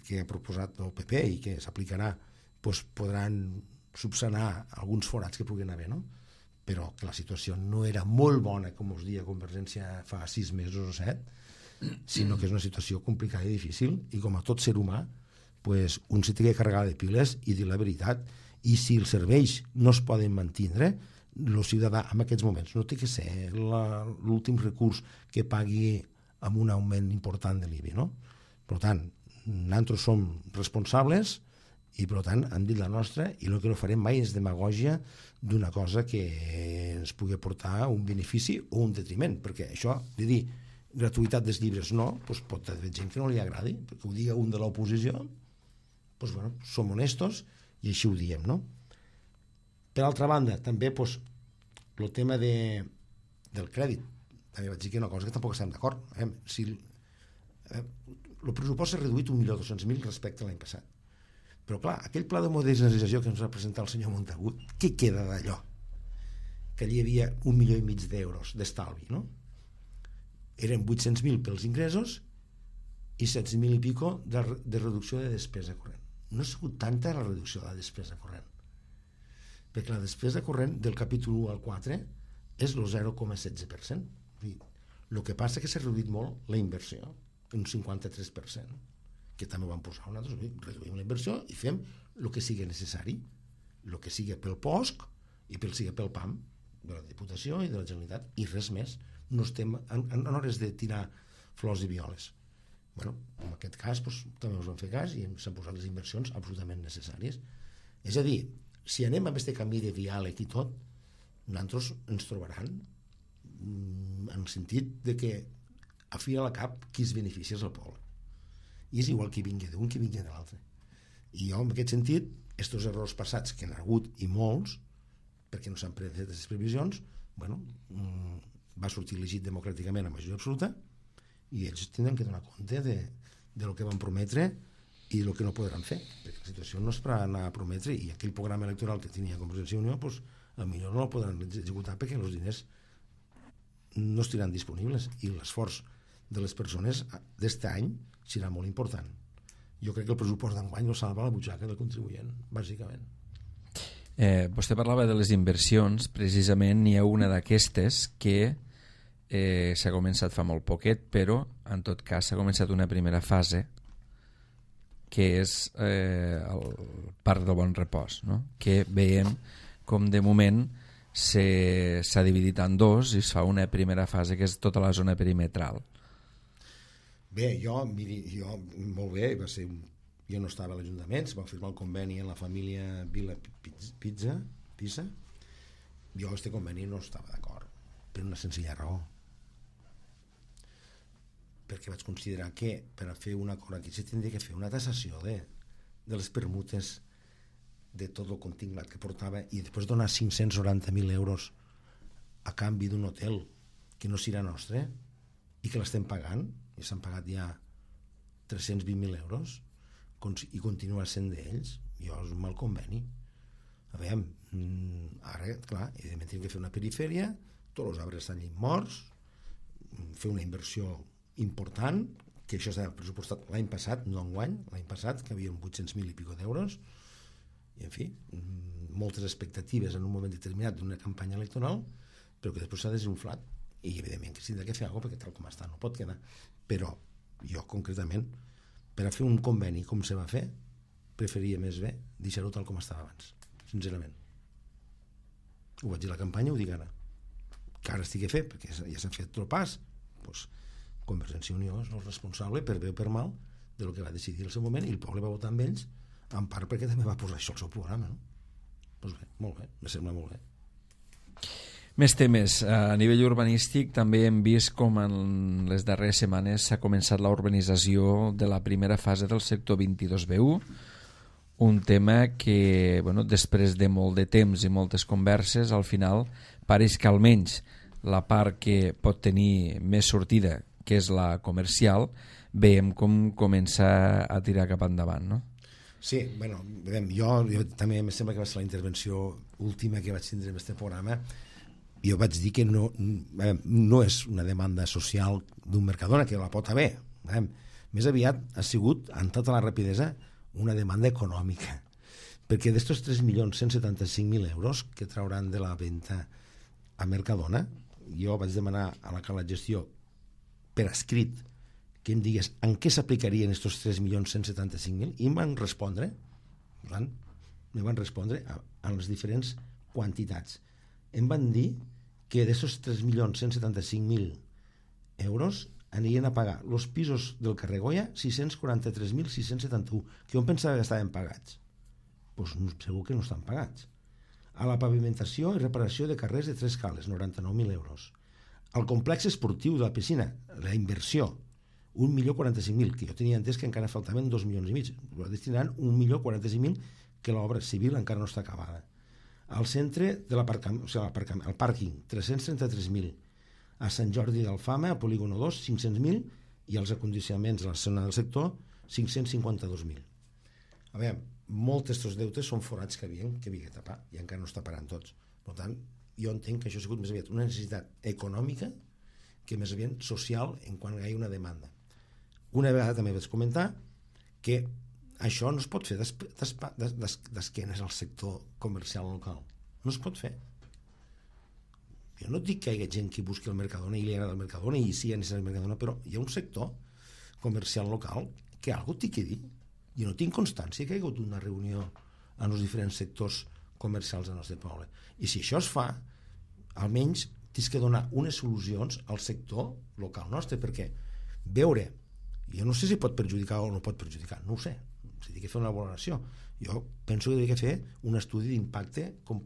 que ha proposat el PP i que s'aplicarà podran subsanar alguns forats que puguin haver, no? Però que la situació no era molt bona, com us deia Convergència fa 6 mesos o 7, sinó que és una situació complicada i difícil, i com a tot ser humà un s'ha de carregar de piles i dir la veritat, i si els serveis no es poden mantindre, el ciutadà en aquests moments no té que ser l'últim recurs que pagui amb un augment important de l'IBI, no? Per tant, nosaltres som responsables i per tant hem dit la nostra, i el que no farem mai és demagògia d'una cosa que ens pugui aportar un benefici o un detriment, perquè això de dir gratuïtat dels llibres no, pot haver gent que no li agradi, perquè ho digui un de l'oposició, som honestos i així ho diem, no? Per altra banda, també el tema del crèdit, també vaig dir que una cosa que tampoc estem d'acord. Si el pressupost s'ha reduït 1.200.000 respecte a l'any passat, però clar, aquell pla de modernització que ens va presentar el senyor Montagut, què queda d'allò? Que allí hi havia 1,5 milió d'euros d'estalvi, no? Eren 800.000 pels ingressos i 16.000 i pico de reducció de despesa corrent. No ha sigut tanta la reducció de la despesa corrent, perquè la despesa corrent del capítol 1 al 4 és el 0,16%. El que passa que s'ha reduït molt la inversió, un 53%, que també ho vam posar nosaltres. Reduïm la inversió i fem el que sigui necessari, el que sigui pel POSC i sigui pel PAM de la Diputació i de la Generalitat, i res més. No estem en hores de tirar flors i violes. Bueno, en aquest cas també us vam fer cas i s'han posat les inversions absolutament necessàries. És a dir, si anem amb aquest camí de diàleg i tot, nosaltres ens trobaran en el sentit de que a fi a la cap qui es beneficia és el poble, i és igual qui vingui d'un qui vingui de l'altre. I jo en aquest sentit, estos errors passats que n'ha hagut i molts, perquè no s'han fet les previsions, bueno, va sortir elegit democràticament a majoria absoluta i ells tindran que donar compte de lo que van prometre i el que no podran fer, perquè la situació no és per anar a prometre, i aquell programa electoral que tenia Convergència i Unió, pues, potser no el podran executar perquè els diners no estiran disponibles, i l'esforç de les persones d'este any serà molt important. Jo crec que el pressupost d'enguany no salva la butxaca del contribuent, bàsicament. Vostè parlava de les inversions. Precisament n'hi ha una d'aquestes que s'ha començat fa molt poquet, però en tot cas s'ha començat una primera fase que és el Parc del Bon Repòs, no? Que veiem com de moment s'ha dividit en dos i es fa una primera fase que és tota la zona perimetral. Bé, jo molt bé, jo no estava a l'Ajuntament, es va firmar el conveni en la família Vila Pisa. Jo a aquest conveni no estava d'acord, per una senzilla raó, perquè vaig considerar que per a fer un acord aquí se tindria que fer una tassació de les permutes de tot el contingut que portava, i després donar 590.000 euros a canvi d'un hotel que no serà nostre i que l'estem pagant, i s'han pagat ja 320.000 euros i continua sent d'ells. Jo és un mal conveni. A veure, ara, clar, evidentment hem de fer una perifèria, tots els arbres estan morts, fer una inversió important, que això s'ha pressupostat l'any passat, no enguany, l'any passat, que havia 800.000 i pico d'euros, i en fi, moltes expectatives en un moment determinat d'una campanya electoral, però que després s'ha desinflat, i evidentment que s'ha de fer alguna cosa, perquè tal com està no pot quedar. Però jo concretament, per a fer un conveni com se va fer, preferia més bé deixar-ho tal com estava abans, sincerament. Ho vaig dir a la campanya, ho dic ara, que ara estigui fet, perquè ja s'ha fet el pas, doncs Convergència i Unió és el responsable, per bé o per mal, del que va decidir al seu moment, i el poble va votar amb ells, en part perquè també va posar això al seu programa, no? Doncs bé, molt bé, me sembla molt bé. Més temes. A nivell urbanístic també hem vist com en les darreres setmanes s'ha començat la urbanització de la primera fase del sector 22B1, un tema que, bueno, després de molt de temps i moltes converses, al final pareix que almenys la part que pot tenir més sortida, que és la comercial, veiem com comença a tirar cap endavant, no? Sí, bueno, jo també em sembla que va ser la intervenció última que vaig tindre en aquest programa. Jo vaig dir que no és una demanda social d'un Mercadona, que la pot haver. Més aviat ha sigut, amb tota la rapidesa, una demanda econòmica. Perquè d'estos 3.175.000 euros que trauran de la venda a Mercadona, jo vaig demanar a la Cala de Gestió per escrit que em digués en què s'aplicarien aquests 3.175.000, i em van respondre a les diferents quantitats. Em van dir que d'aquests 3.175.000 euros anirien a pagar els pisos del carrer Goya 643.671, que jo pensava que estaven pagats. Doncs segur que no estan pagats. A la pavimentació i reparació de carrers de 3 cales, 99.000 euros. Al complex esportiu de la piscina, la inversió, 1.045.000, que jo tenia entès que encara faltaven 2,5 milions. Destinaran 1.045.000, que l'obra civil encara no està acabada. Al centre de el pàrquing, 333.000. A Sant Jordi d'Alfama, a Polígono 2, 500.000, i els acondicionaments de la zona del sector, 552.000. A veure, molts d'estos deutes són forats que havia de tapar, i encara no està parant tots. Per tant, jo entenc que això ha sigut més aviat una necessitat econòmica que més aviat social en quan hi ha una demanda. una vegada també vaig comentar que això no es pot fer d'esquenes al sector comercial local. No es pot fer. Jo no dic que hi hagi gent que busqui el Mercadona i li agrada el Mercadona i sí, necessita el Mercadona, però hi ha un sector comercial local que algú té que dir. Jo no tinc constància que hi ha hagut una reunió en els diferents sectors comercials del nostre poble. I si això es fa, almenys tens que donar unes solucions al sector local nostre, perquè veure, jo no sé si pot perjudicar o no pot perjudicar, no ho sé, s'ha de fer una valoració. Jo penso que hauria de fer un estudi d'impacte com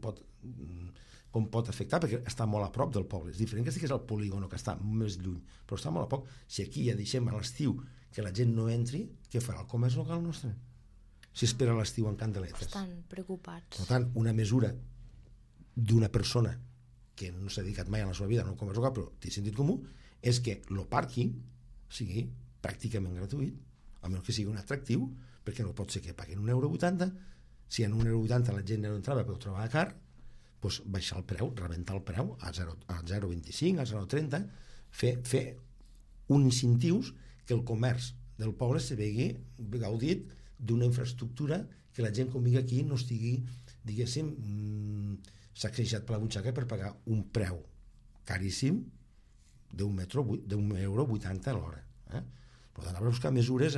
pot afectar, perquè està molt a prop del poble. És diferent que estigués al polígono, que està més lluny, però està molt a poc. Si aquí ja deixem a l'estiu que la gent no entri, què farà el comerç local nostre? Si espera l'estiu en candeletes. Estan preocupats. Per tant, una mesura d'una persona que no s'ha dedicat mai a la seva vida en el comerç local, però té sentit comú, és que el pàrquing sigui pràcticament gratuït, a menys que sigui un atractiu, perquè no pot ser que paguen €1,80. Si en €1,80 la gent no entrava però ho trobava car, doncs baixar el preu, rebentar el preu a 0,25, a 0,30, fer uns incentius que el comerç del poble se vegi gaudit d'una infraestructura que la gent quan vingui aquí no estigui, diguéssim, sacsejat per la butxaca per pagar un preu caríssim d'1,80 a l'hora. Per tant, haurà de buscar mesures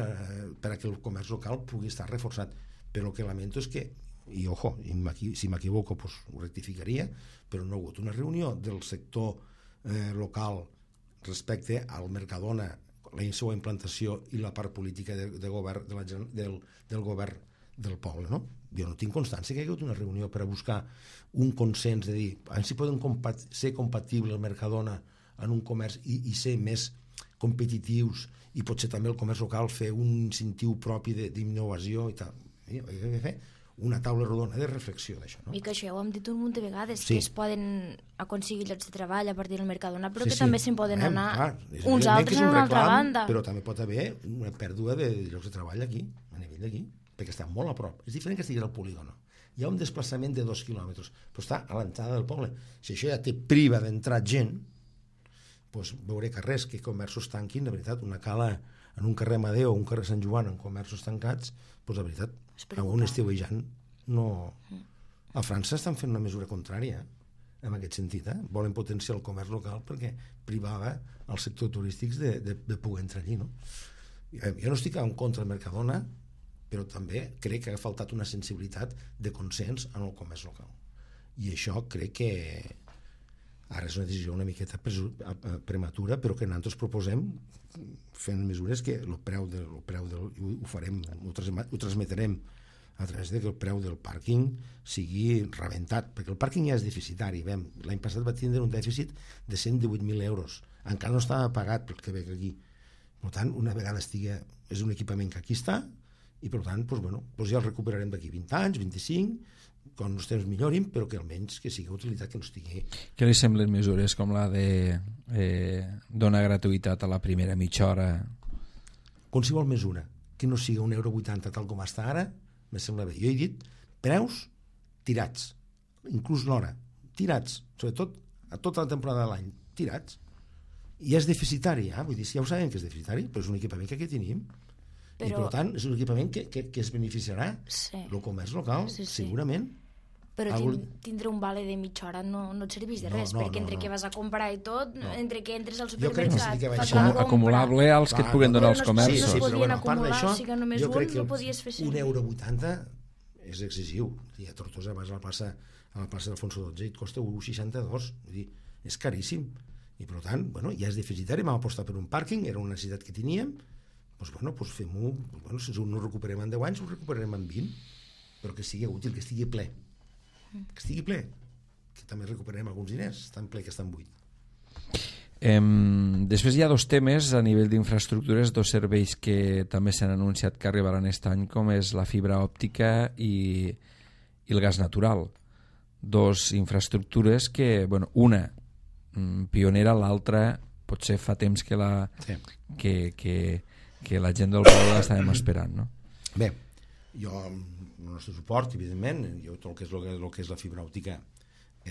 per a que el comerç local pugui estar reforçat. Però el que lamento és que, i ojo, si m'equivoco pues, ho rectificaria, però no ha hagut una reunió del sector local respecte al Mercadona, la seva implantació i la part política de govern del govern del poble, no? Jo no tinc constància que hi ha hagut una reunió per a buscar un consens de dir si poden ser compatible el Mercadona en un comerç i ser més competitius i potser també el comerç local fer un incentiu propi d'innovació i tal. Hi ha de fer una taula rodona de reflexió d'això, no? I que això ja ho hem dit un munt de vegades, sí, que es poden aconseguir llocs de treball a partir del Mercadona, però sí, que també se'n poden anar uns altres altres a una altra banda. Però també pot haver una pèrdua de llocs de treball aquí, a nivell d'aquí, perquè està molt a prop. És diferent que estigués al polígono. Hi ha un desplaçament de 2 quilòmetres, però està a l'entrada del poble. Si això ja te priva d'entrar gent, doncs veuré carrers que comerços tanquin, de veritat, una cala en un carrer Amadeu o un carrer Sant Joan en comerços tancats, doncs de veritat, algun estiuejant no... A França estan fent una mesura contrària en aquest sentit, volen potenciar el comerç local perquè privava els sectors turístics de poder entrar allí, no? Jo no estic en contra del Mercadona, però també crec que ha faltat una sensibilitat de consens en el comerç local, i això crec que ara és una decisió una miqueta prematura, però que nosaltres proposem fent mesures que el preu ho farem, ho transmetrem a través de que el preu del pàrquing sigui rebentat, perquè el pàrquing ja és deficitari. L'any passat va tindre un dèficit de 118.000 euros, encara no estava pagat pel que ve aquí. Per tant, una vegada és un equipament que aquí està, i per tant doncs ja el recuperarem d'aquí 20 anys, 25, quan els temps millorin, però que almenys que sigui utilitat, que no estigui... Què li semblen mesures com la de donar gratuïtat a la primera mitja hora? Qualsevol mesura que no sigui €1,80 tal com està ara, me sembla bé. Jo he dit preus tirats, inclús l'hora, tirats, sobretot a tota la temporada de l'any, tirats. I és deficitari, vull dir, ja ho sabem que és deficitari, però és un equipament que tenim. Però... I per tant és un equipament que es beneficiarà el comerç local, segurament. Però tindre un vale de mitja hora no et serveix de res, perquè entre que vas a comprar i tot, entre que entres al supermercat, fas la compra... Acumulable als que et puguen donar els comerços. Sí, però a part d'això, jo crec que €1,80 és excessiu. A Tortosa vas a la plaça d'Alfonso XII i et costa €1,62, vull dir, és caríssim. I per tant, ja és deficitari, vam apostar per un pàrquing, era una necessitat que teníem, doncs fem-ho, si no ho recuperem en 10 anys, ho recuperarem en 20, però que sigui útil, que estigui ple. Que estigui ple, que també recuperarem alguns diners, tan ple que estan buit. Després hi ha dos temes a nivell d'infraestructures, dos serveis que també s'han anunciat que arribaran aquest any, com és la fibra òptica i el gas natural. Dos infraestructures que, una pionera, l'altra potser fa temps que la gent del poble l'estàvem esperant, no? Bé, jo el nostre suport, evidentment, tot el que és la fibra òptica,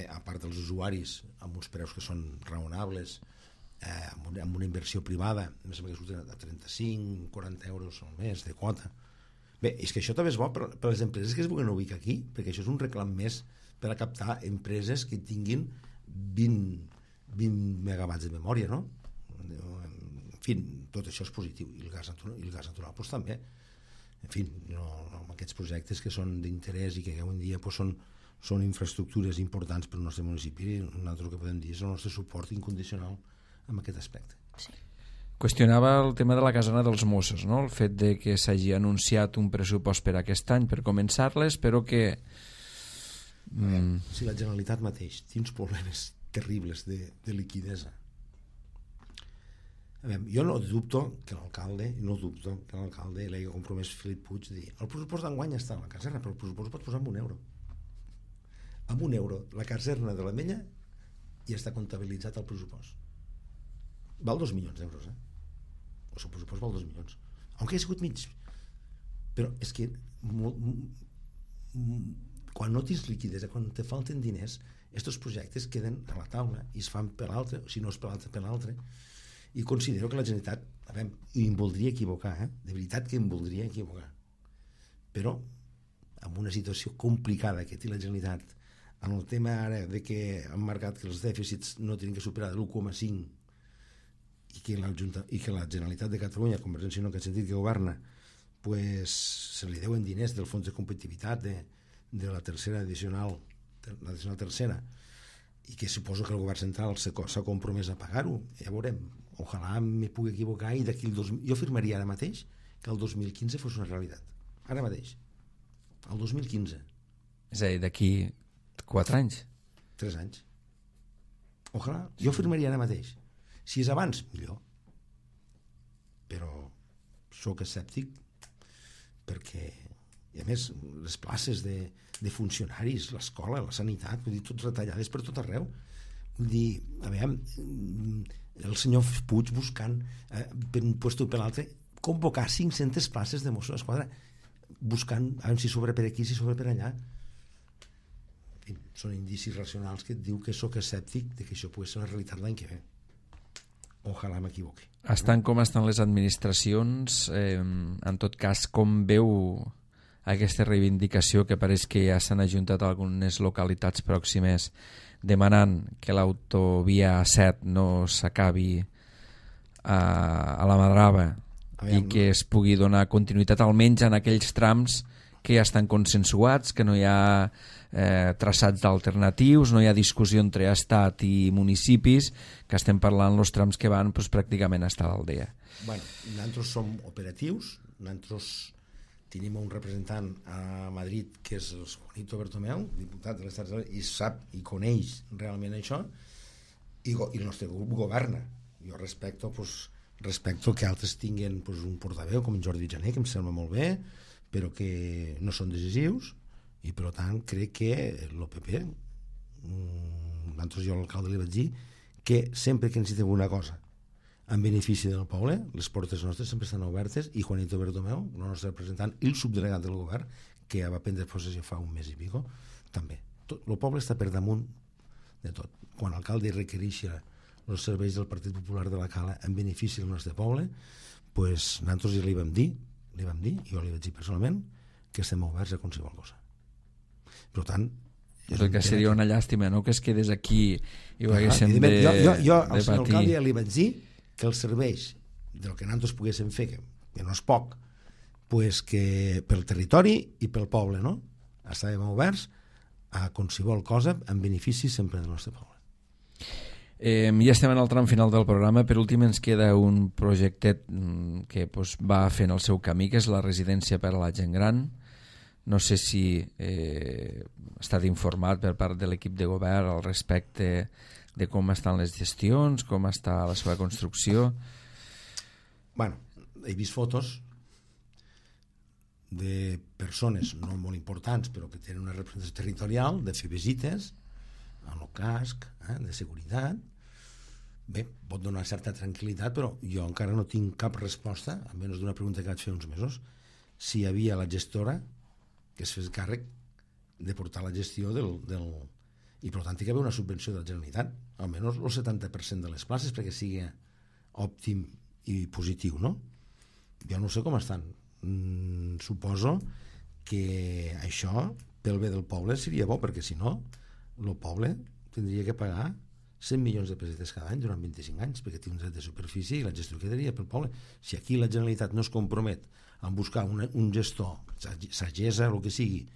a part dels usuaris amb uns preus que són raonables, amb una inversió privada, em sembla que surten a 35-40 euros al mes de quota. Bé, és que això també és bo per les empreses que es vulguin ubicar aquí, perquè això és un reclam més per a captar empreses que tinguin 20 megawatts de memòria, no? En fi, tot això és positiu, i el gas natural doncs, també. En fi, amb aquests projectes que són d'interès i que avui en dia doncs, són infraestructures importants per al nostre municipi, nosaltres el que podem dir és el nostre suport incondicional en aquest aspecte. Sí. Qüestionava el tema de la casana dels Mossos, no? El fet de que s'hagi anunciat un pressupost per aquest any per començar-les, però que... Si la Generalitat mateix té uns problemes terribles de liquidesa. Jo no dubto que l'alcalde l'hagi compromès Felip Puig de dir el pressupost d'enguany està a la caserna, però el pressupost pot posar amb €1. Amb €1 la caserna de l'Ametlla ja està comptabilitzat el pressupost. Val 2 milions d'euros, el seu pressupost val 2 milions, aunque ha sigut mig. Però és que quan no tens liquidesa, quan te falten diners, aquests projectes queden a la taula i es fan per l'altre, si no és per l'altre, per l'altre. I considero que la Generalitat, i em voldria equivocar, de veritat que em voldria equivocar, però amb una situació complicada que té la Generalitat, en el tema ara de que han marcat que els dèficits no tenen que superar l'1,5 i que la Generalitat de Catalunya, Convergència i Unió, en aquest sentit que governa, pues, se li deuen diners del fons de competitivitat de la tercera addicional, l'addicional tercera, i que suposo que el govern central s'ha compromès a pagar-ho. Ja veurem, ojalà me pugui equivocar i d'aquí jo afirmaria ara mateix que el 2015 fos una realitat, ara mateix, el 2015. És a dir, d'aquí 4 anys? 3 anys. Ojalà, jo afirmaria ara mateix. Si és abans, millor. Però sóc escèptic perquè, i a més, les places de funcionaris, l'escola, la sanitat, vull dir, tot retallades per tot arreu. Vull dir, a veure, el senyor Puig buscant per un lloc per l'altre, convocar 500 places de Mossos d'Esquadra, buscant, a veure si sobre per aquí, si sobre per allà. En fi, són indicis racionals que et diu que sóc escèptic de que això pugui ser una realitat l'any que ve. Ojalà m'equivoqui. Estan com estan les administracions, en tot cas, com veu aquesta reivindicació que pareix que ja s'han ajuntat algunes localitats pròximes demanant que l'autovia A7 no s'acabi a la Madrava i que es pugui donar continuïtat almenys en aquells trams que ja estan consensuats, que no hi ha traçats alternatius, no hi ha discussió entre estat i municipis, que estem parlant els trams que van doncs, pràcticament a estar a l'aldea. Bueno, nosaltres som operatius, nosaltres tenim un representant a Madrid que és el Juanito Bertomeu, diputat de l'Estat, i sap i coneix realment això, i el nostre grup governa. Jo respecto que altres tinguin un portaveu com en Jordi Jané, que em sembla molt bé, però que no són decisius, i per tant crec que l'OPP, jo a l'alcalde li vaig dir que sempre que necessitem una cosa en benefici del poble, les portes nostres sempre estan obertes, i Juanito Bertomeu, el nostre representant i el subdelegat del govern, que ja va prendre possessió fa un mes i pico, també. El poble està per damunt de tot. Quan l'alcalde requereixi els serveis del Partit Popular de la Cala en benefici del nostre poble, pues, nosaltres ja li vam dir, jo li vaig dir personalment, que estem oberts a qualsevol cosa. Per tant, el que seria una llàstima, no?, que es quedés aquí i ho haguéssim de jo al senyor alcalde ja li vaig dir que els serveis del que nosaltres poguéssim fer, que no és poc, pues que pel territori i pel poble, no?, estàvem oberts a qualsevol cosa en benefici sempre del nostre poble. Ja estem en el tram final del programa. Per últim ens queda un projectet que va fent el seu camí, que és la residència per a la gent gran. No sé si ha estat informat per part de l'equip de govern al respecte de com estan les gestions, com està la seva construcció. Bueno, he vist fotos de persones no molt importants però que tenen una representació territorial, de fer visites amb el casc, de seguretat. Bé, pot donar certa tranquil·litat, però jo encara no tinc cap resposta, a menys d'una pregunta que vaig fer uns mesos, si hi havia la gestora que es fes càrrec de portar la gestió del... i per tant hi ha d'haver una subvenció de la Generalitat, almenys el 70% de les places, perquè sigui òptim i positiu, no? Jo no sé com estan. Suposo que això, pel bé del poble, seria bo, perquè si no, el poble tindria que pagar 100 milions de pessetes cada any durant 25 anys, perquè té un dret de superfície i la gestió quedaria pel poble. Si aquí la Generalitat no es compromet a buscar un gestor, sagessa, el que sigui,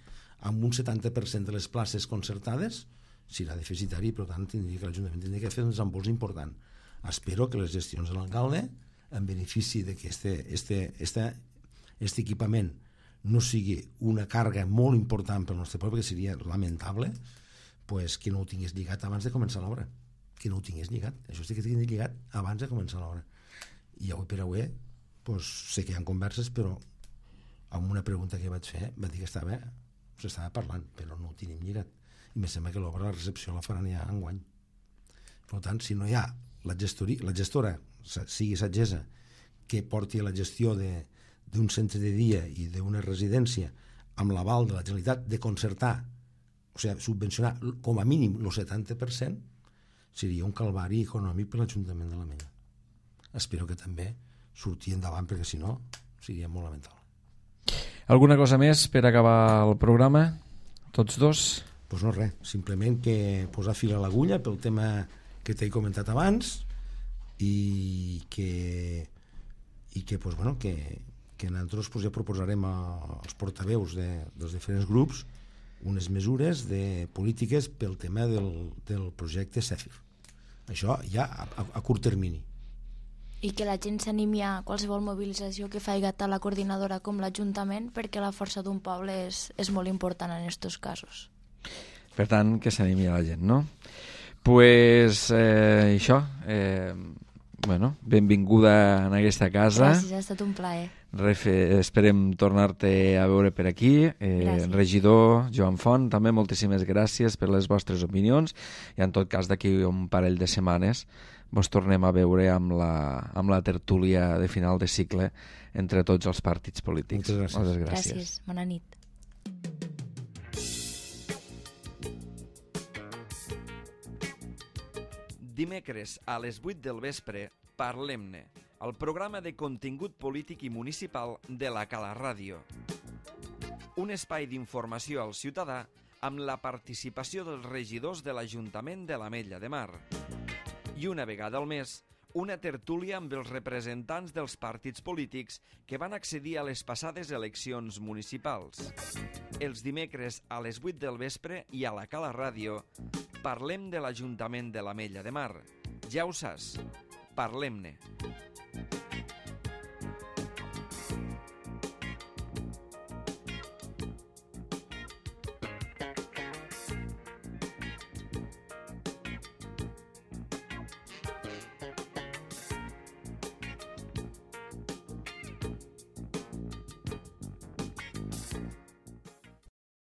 amb un 70% de les places concertades, serà deficitari, per tant, que l'Ajuntament tindria que fer un desembols important. Espero que les gestions de l'alcalde, en benefici que aquest equipament no sigui una càrrega molt important pel nostre poble, que seria lamentable, pues, que no ho tingués lligat abans de començar l'obra. Que no ho tingués lligat. Això sí que tingués lligat abans de començar l'obra. I avui per avui, pues, sé que hi ha converses, però amb una pregunta que vaig fer, va dir que s'estava parlant, però no ho tenim lligat. I me sembla que l'obra, la recepció, la faran ja enguany. Per tant, si no hi ha la gestora, sigui sagessa, que porti la gestió d'un centre de dia i d'una residència amb l'aval de la Generalitat de concertar, o sigui, subvencionar com a mínim el 70%, seria un calvari econòmic per l'Ajuntament de l'Ametlla. Espero que també surti endavant, perquè si no seria molt lamentable. Alguna cosa més per acabar el programa? Tots dos? Doncs no res, simplement que posar fil a l'agulla pel tema que t'he comentat abans i que pues, bueno, que nosaltres pues, ja proposarem als portaveus dels diferents grups unes mesures de polítiques pel tema del projecte CEFIR. Això ja a curt termini. I que la gent s'animi a qualsevol mobilització que faci tant la coordinadora com l'Ajuntament, perquè la força d'un poble és molt important en aquests casos. Per tant, que s'animi a la gent, no? Pues això, bueno, benvinguda en aquesta casa. Gràcies, ha estat un plaer. Esperem tornar-te a veure per aquí. Regidor Joan Font, també moltíssimes gràcies per les vostres opinions i en tot cas d'aquí un parell de setmanes vos tornem a veure amb la tertúlia de final de cicle entre tots els partits polítics. Moltes gràcies. Moltes gràcies. Bona nit. Dimecres a les 8 del vespre, Parlem-ne, el programa de contingut polític i municipal de la Cala Ràdio. Un espai d'informació al ciutadà amb la participació dels regidors de l'Ajuntament de l'Ametlla de Mar. I una vegada al mes, una tertúlia amb els representants dels partits polítics que van accedir a les passades eleccions municipals. Els dimecres a les 8 del vespre i a la Cala Ràdio parlem de l'Ajuntament de l'Ametlla de Mar. Ja ho saps, parlem-ne.